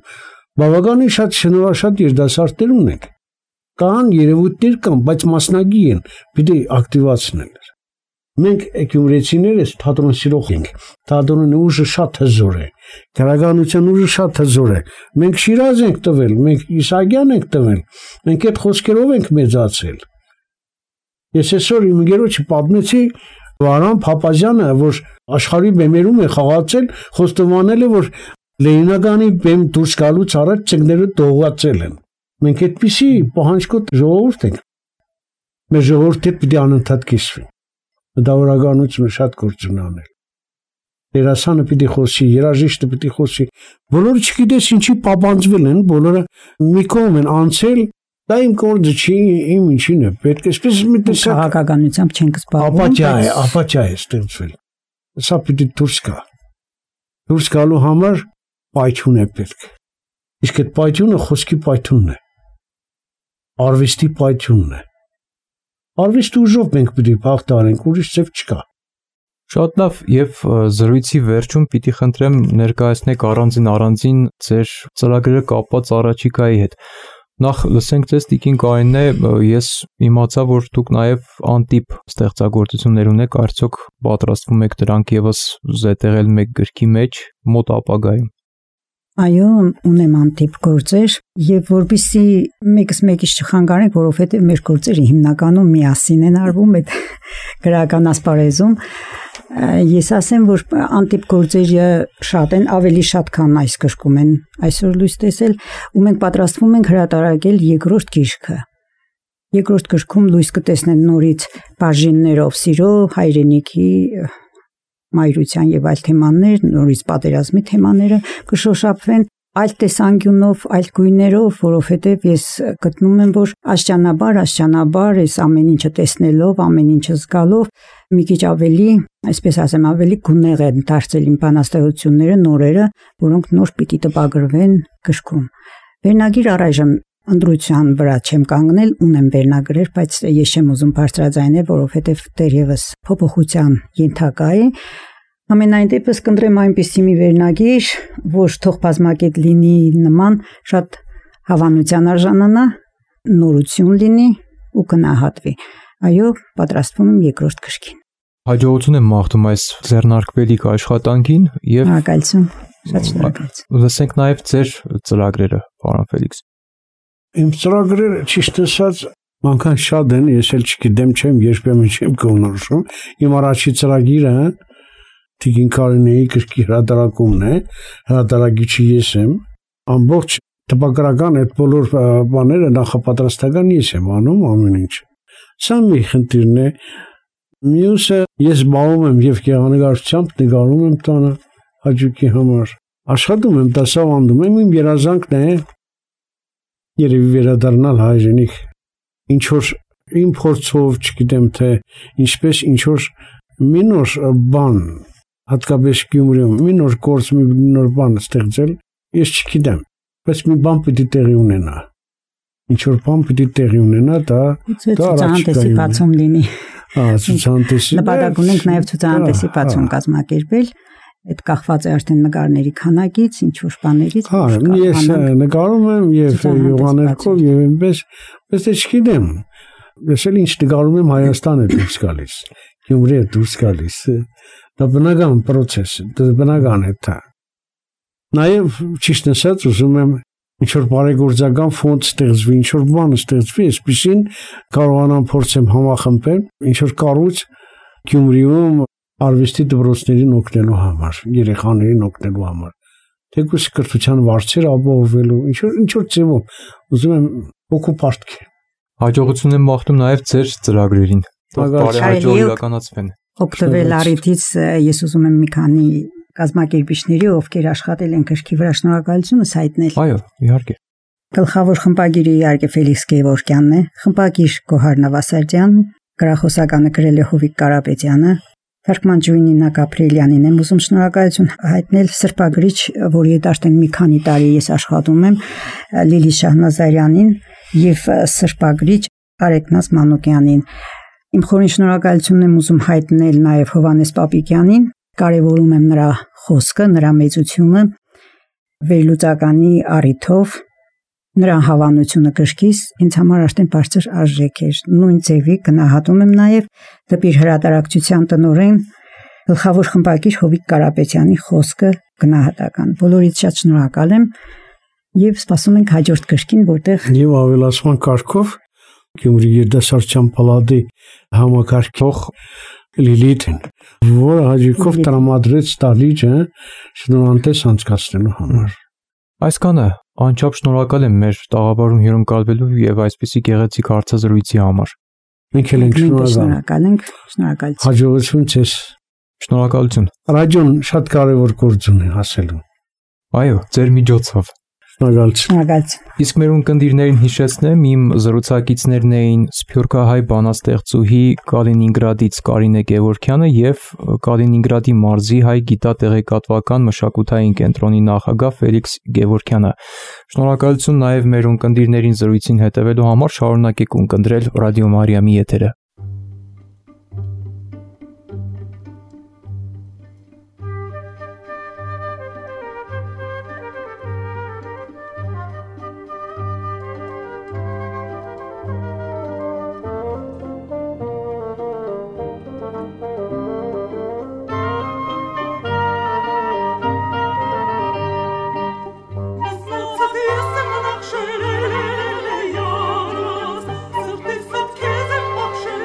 Բավականին շատ շնորհաշատ երիտասարդներ ունենք։ Կան երևույթներ կան, բայց մասնագի են, պիտի ակտիվացնել։ Մենք գյումրեցիներս թատրոն սիրող ենք։ Թատրոնի ուժը շատ հզոր է։ Գրականության ուժը շատ հզոր է։ Մենք Շիրազ ենք տվել, մենք Իսահակյան ենք տվել։ Մենք այդ խոսքերով ենք մեծացել։ Ես այսօր իմ գերոջը պատմեցի Վարան Փափազյանը, որ աշխարհի բեմերում է խաղացել, խոստովանել է, որ Լենինականի բեմ դուրս գալուց առաջ ծնկները դողացել են։ Մենք այդպիսի պահանջկոտ ժողովուրդ ենք։ Մեր ժողովուրդը պիտի անընդհատ կիսվի։ Դավրականությունը շատ գործ ունի անել։ Դերասանը պիտի խոսի, երաժիշտը պիտի խոսի։ Բոլորը չգիտես ինչի պապանձվել են, բոլորը մի կողմ են անցել։ Դա իմ գործը չի, իմ ինչին է, պետք է այսպես մի տեսակ քաղաքականությամբ չենք զբաղվում։ Ապաճա է, ապաճա է ստեղծվել։ Սա պիտի դուրս գա։ Դուրս գալու համար պայթյուն է պետք։ Իսկ այդ պայթյունը խոսքի պայթյունն է։ Արվեստի պայթյունն է։ Արվեստի ուժով մենք պիտի բախտարենք, ուրիշ ձև չկա։ Շատ լավ, եւ զրույցի վերջում պիտի խնդրեմ ներկայացնեք առանձին առանձին ձեր ծրագրերը կապված առաջիկայի հետ։ Նախ լսենք ձեզ Տիկին Կարինե, ես իմացա, որ դուք նաև անտիպ ստեղծագործություններ ունեք, արդյոք պատրաստվում եք դրանք եւս զետեղել մեկ գրքի մեջ մոտ ապագայում։ Այո, ունեմ անտիպ գործեր եւ որբիսի մեկս մեկից չխանգարենք, որովհետեւ մեր գործերը հիմնականում միասին են արվում այդ գրական ասպարեզում։ Ես ասեմ, որ անտիպ գործերը շատ են, ավելի շատ քան այս գրքում են այսօր լույս տեսել, ու մենք պատրաստվում ենք հրատարակել երկրորդ գիրքը։ Երկրորդ գրքում լույս կտեսնեն նորից բաժիններով սիրո, հայրենիքի, մայրության եւ այլ թեմաներ, նորից պատերազմի թեմաները կշոշափվեն այլ տեսանկյունով, այլ գույներով, որովհետեւ ես գտնում եմ, որ աշճանաբար, աշճանաբար այս ամեն ինչը տեսնելով, ամեն ինչը զգալով մի քիչ ավելի, այսպես ասեմ, ավելի գունեղ են դարձել իմ բանաստեղծությունները, նորերը, որոնք նոր պիտի տպագրվեն գրքում։ Վերնագիր առայժմ Անդրության վրա չեմ կանգնել, ունեմ վերնագրեր, բայց ես չեմ ուզում բարձրաձայնել, որովհետև դեռևս փոփոխության ենթակա է։ Ամենայն դեպս կընտրեմ այնպիսի մի վերնագիր, որ թող բազմակետ լինի նման, շատ հավանության արժանանա, նորություն լինի ու կնահատվի։ Այո, պատրաստվում եմ երկրորդ քրքին։ Հաջողություն եմ մաղթում այս ձեռնարկվելիք աշխատանքին եւ շնորհակալություն, շատ շնորհակալություն։ Լսենք նաեւ ձեր ծրագրերը, պարոն Ֆելիքս։ Իմ ծրագրերը ճիշտ ասած անկան շատ են, ես էլ չգիտեմ, չեմ երբեմն չեմ կողնորոշում։ Իմ առաջի ծրագիրը Տիկին Կարինեի գրքի հրատարակումն է, հրատարակիչը ես եմ, ամբողջ տպագրական այդ բոլոր բաները նախապատրաստական ես եմ անում ամեն ինչ։ Սա մի խնդիրն է։ Մյուսը ես զբաղվում եմ եւ գեղանկարչությամբ նկարում եմ տանը հաճույքի համար։ Աշխատում եմ, դասավանդում եմ, իմ երազանքն է երևի վերադառնալ հայրենիք։ Ինչ որ իմ փորձով, չգիտեմ թե ինչպես ինչ որ մի նոր բան, հատկապես Գյումրիում, մի նոր գործ, մի նոր բան ստեղծել, ես չգիտեմ, բայց մի բան պիտի տեղի ունենա։ Ինչ որ բան պիտի տեղի ունենա, դա դա ցուցահանդեսի բացում լինի։ Ահա, ցուցահանդեսի։ Նպատակ ունենք նաև ցուցահանդեսի բացում կազմակերպել։ Այդ կախված է արդեն նկարների քանակից, ինչ որ բաներից։ Հա, ես նկարում եմ եւ յուղաներկով եւ այնպես, բայց չգիտեմ։ Ես էլ ինչ նկարում եմ Հայաստանը դուրս գալիս, Գյումրիը դուրս գալիս։ Դա բնական process է, դա բնական է դա։ Նաեւ ճիշտ ասած ուզում եմ ինչ որ բարեգործական ֆոնդ ստեղծվի, ինչ որ բան ստեղծվի, այսպեսին կարողանամ փորձեմ համախմբել, ինչ որ կառույց Գյումրիում արվեստի դպրոցներին օգնելու համար, երեխաներին օգնելու համար, թեկուզ կրթության վարձերը ապահովելու, ինչ որ ինչ որ ձևով ուզում եմ հոգու պարտքի։ Հաջողություն եմ մաղթում նաև ձեր ծրագրերին։ Բարեհաջող իրականացվեն։ Օգտվել առիթից ես ուզում եմ մի քանի կազմակերպիչների, ովքեր աշխատել են գրքի վրա, շնորհակալությունս հայտնել։ Այո, իհարկե։ Գլխավոր խմբագիրը իհարկե Ֆելիքս Գևորգյանն է, խմբագիր Գոհար Նավասարդյան, գրախոսականը գրել է Հովիկ Կարապետյանը, թարգման ջույն Նինա Գաբրիելյանին եմ ուզում շնորհակալություն հայտնել, սրբագրիչ, որի հետ արդեն մի քանի տարի ես աշխատում եմ, Լիլի Շահնազարյանին եւ սրբագրիչ Արեգնաս Մանուկյանին։ Իմ խորին շնորհակալությունն եմ ուզում հայտնել նաեւ Հովանես Պապիկյանին, կարևորում եմ նրա խոսքը, նրա մեծությունը, վերլուծականի առիթով, նրա հավանությունը գրքից ինձ համար արդեն բարձր արժեք էր։ Նույն ձևի գնահատում եմ նաև դեպի հրատարակչության տնօրեն գլխավոր խմբագիր Հովիկ Կարապետյանի խոսքը գնահատական։ Բոլորից շատ շնորհակալ եմ եւ սպասում ենք հաջորդ գրքին, որտեղ եւ ավելացման կարգով Գյումրի երդասարդության պալատի համակարգող Լիլիթին, որը հաջիկով տրամադրեց Ստալիջը շնորհանդես անցկացնելու համար։ Այսքանը անչափ շնորհակալ եմ մեր տաղավարում հյուրընկալվելու եւ այսպիսի գեղեցիկ հարցազրույցի համար։ Մենք էլ ենք շնորհակալ ենք, շնորհակալություն։ Հաջողություն ձեզ։ Շնորհակալություն։ Ռադիոն շատ կարևոր գործ ունի հասելու։ Այո, ձեր միջոցով։ Շնորհակալություն։ Իսկ մեր ունկնդիրներին հիշեցնեմ, իմ զրուցակիցներն էին Սփյուռքահայ բանաստեղծուհի Կալինինգրադից Կարինե Գևորգյանը եւ Կալինինգրադի մարզի հայ գիտատեղեկատվական մշակութային կենտրոնի նախագահ Ֆելիքս Գևորգյանը։ Շնորհակալություն նաեւ մեր ունկնդիրներին զրույցին հետևելու համար, շարունակեք ունկնդրել Ռադիո Մարիամի եթերը։ Sırtı sat kezim bakşır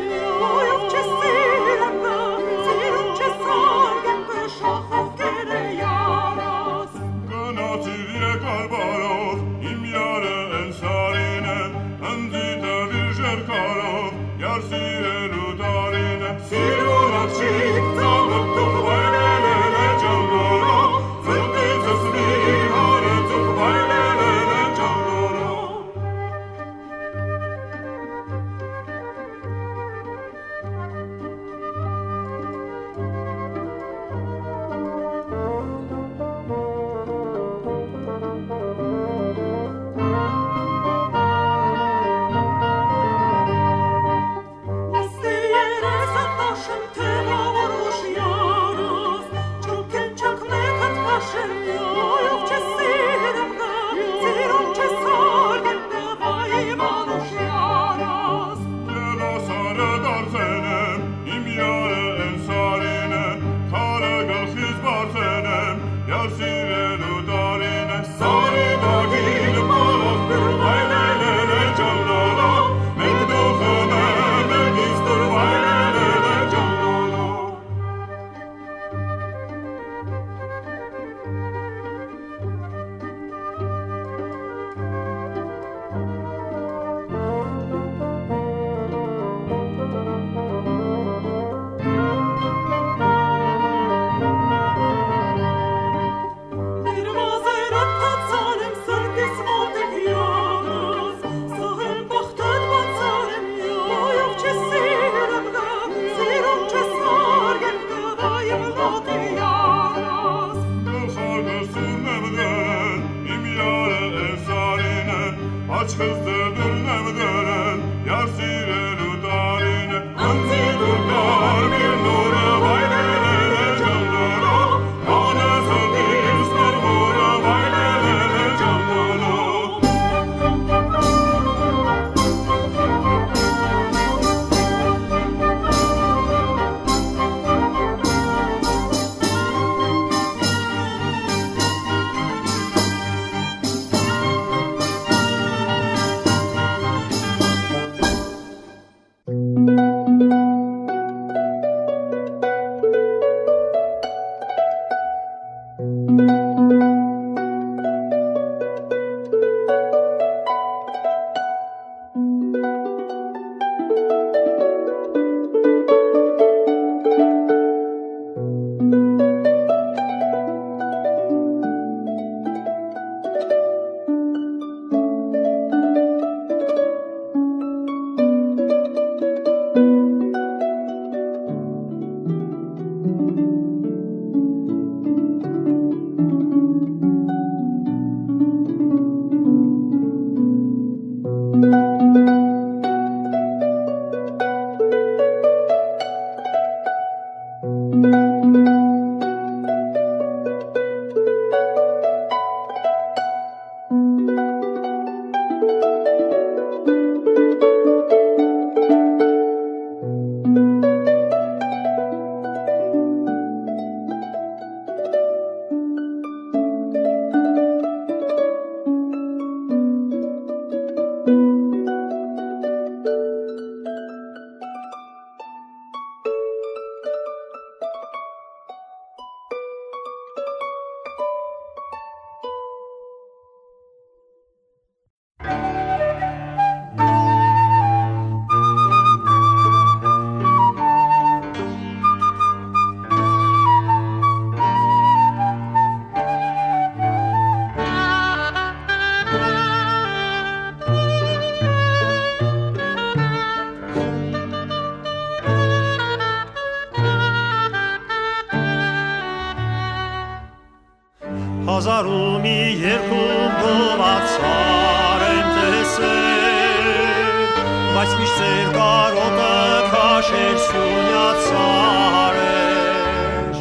Հազարու մի երկում գովացար եմ տեսել, բայց միշտ ձեր կարոտը քաշեր սյունյացար էր։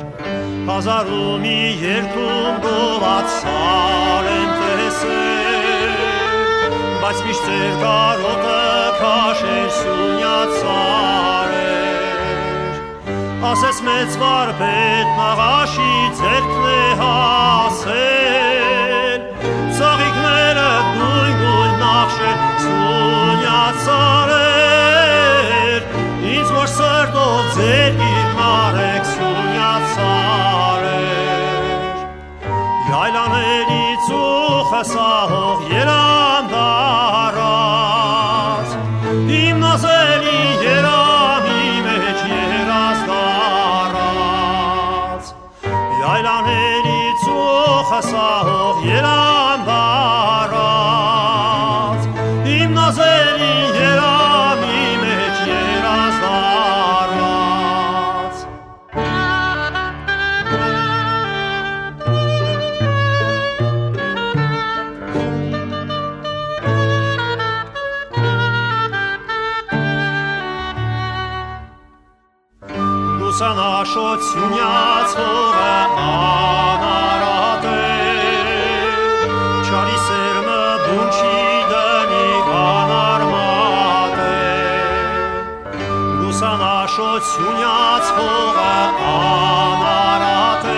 Հազարու մի երկում գովացար եմ տեսել, բայց միշտ ձեր կարոտը քաշեր սյունյացար էր։ Ասես մեծ վարպետ նաղաշի ձերքն է հասել, ծաղիկները գույն-գույն նախշել սյունյացար էր, ինձ որ սրտով ձեր գիրկն արեք սյունյացար էր։ Յայլաների ծուխը սահող երանգ առած, իմ նազելի երամի մեջ երազ դարած, յայլաների ծուխը սահող երանգ առած, իմ նազելի երամի մեջ երազ դարած։ Լուսանաշոտ սյունյացողը անարատ է, չարի սերմը բուն չի դնի անարմատ է։ Լուսանաշոտ սյունյացողը անարատ է,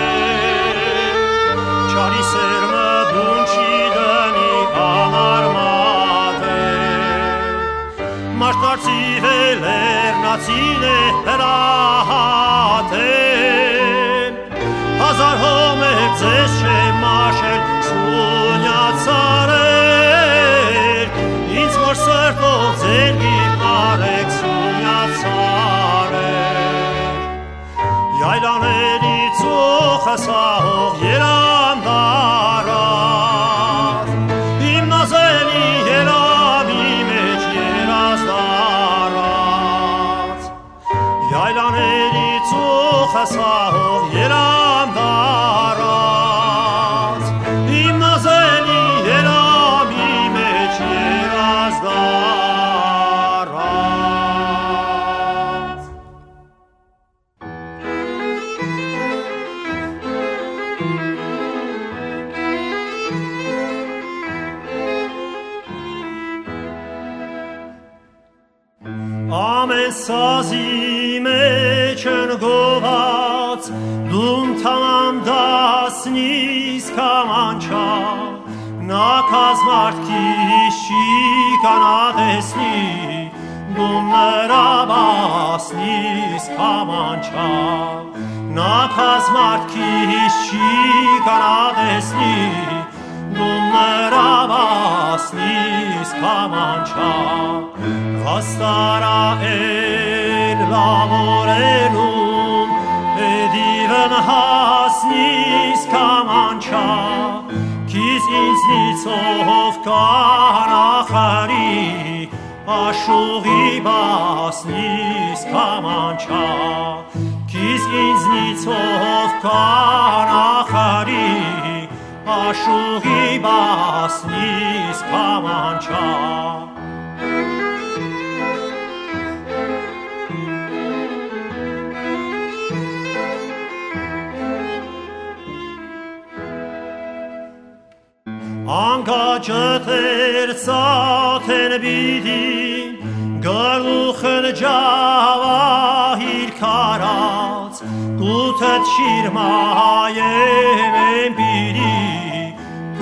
չարի սերմը բուն չի դնի անարմատ է։ Մաշտարցիվ է լեռնացին է հրահատել, հազար հոմեր ձեզ չեմ մաշել սյունյացար էր, ինձ որ սրտով ձեր գիրկն արեք սյունյացար էր։ Յայլաների ծուխը սահող երանգ առած, իմ նազելի երամի մեջ երազ դարած, յայլաների ծուխը սահող երանգ առած, իմ նազելի երամի մեջ երազ սազի մեջ ընկոված, դում թամ դասնիս կամանչա, նա կազմարդքիս չի կանատեսնի, դում նրա բասնիս կամանչա, նա կազմարդքիս չի կանատեսնի, դում նրա բասնիս կամանչա, Հաստարա էլ լավորելում, էդիվն հասնիս կամանչա, Քիզ ինձնիցով կանախարի, աշուղի բասնիս կամանչա, Քիզ ինձնիցով կանախարի, աշուղի բասնիս կամանչա, Անկաչըթեր ծաթեն բիդին, գլուխն ջավահիր կարած, կութըտ շիրմայեմ եմ բիրի,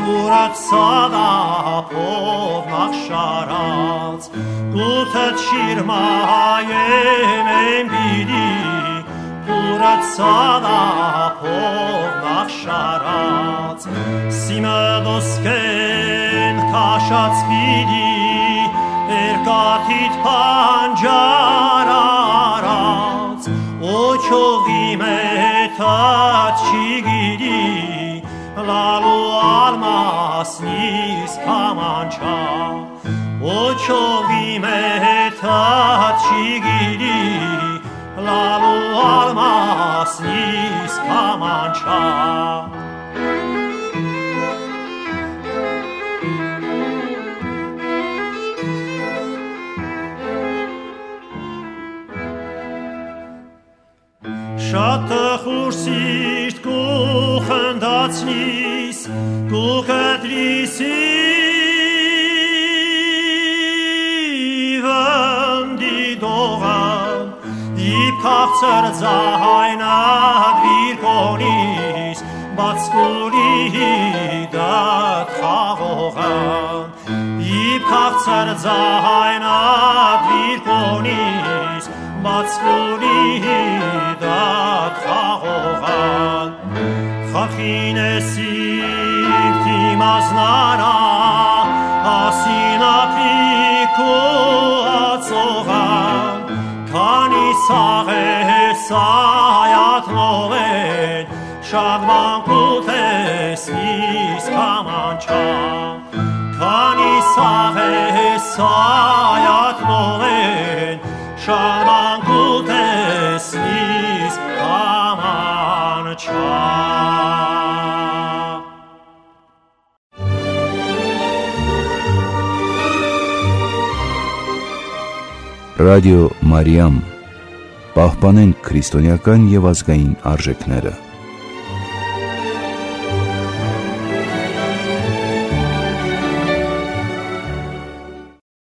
կուրատ սադապով նախշարած, կութըտ շիրմայեմ եմ բիրի, կուրատ սադապով նախշարած, Սիմը ոսկեն քաշած պիտի, երկաթիդ պանջար արած, օչողի մեթած չի գիրի, լալու ալմասնիս կամանչա, օչողի մեթած չի գիրի, լալու ալմասնիս կամանչա, Շատ տխուր սիրտ կուխնդացնիս, կուկտրիսի վնդի դողան, իպ կաղցր ձայնատ վիրկոնիս, բացկուլի հիդատ խաղողան, իպ կաղցր ձայնատ վիրկոնիս, բացկուլի հիդատ խաղողան, խախին է սիրտի մազնարա, ասին ապիկու ածողան, քանի սաղ է սայաթնով են, շագման կութեսնիս կամանչա, քանի սաղ է սայաթնով են, շագման կութեսնիս կամանչա, Ռադիո Մարիամ, պահպանենք քրիստոնեական և ազգային արժեքները։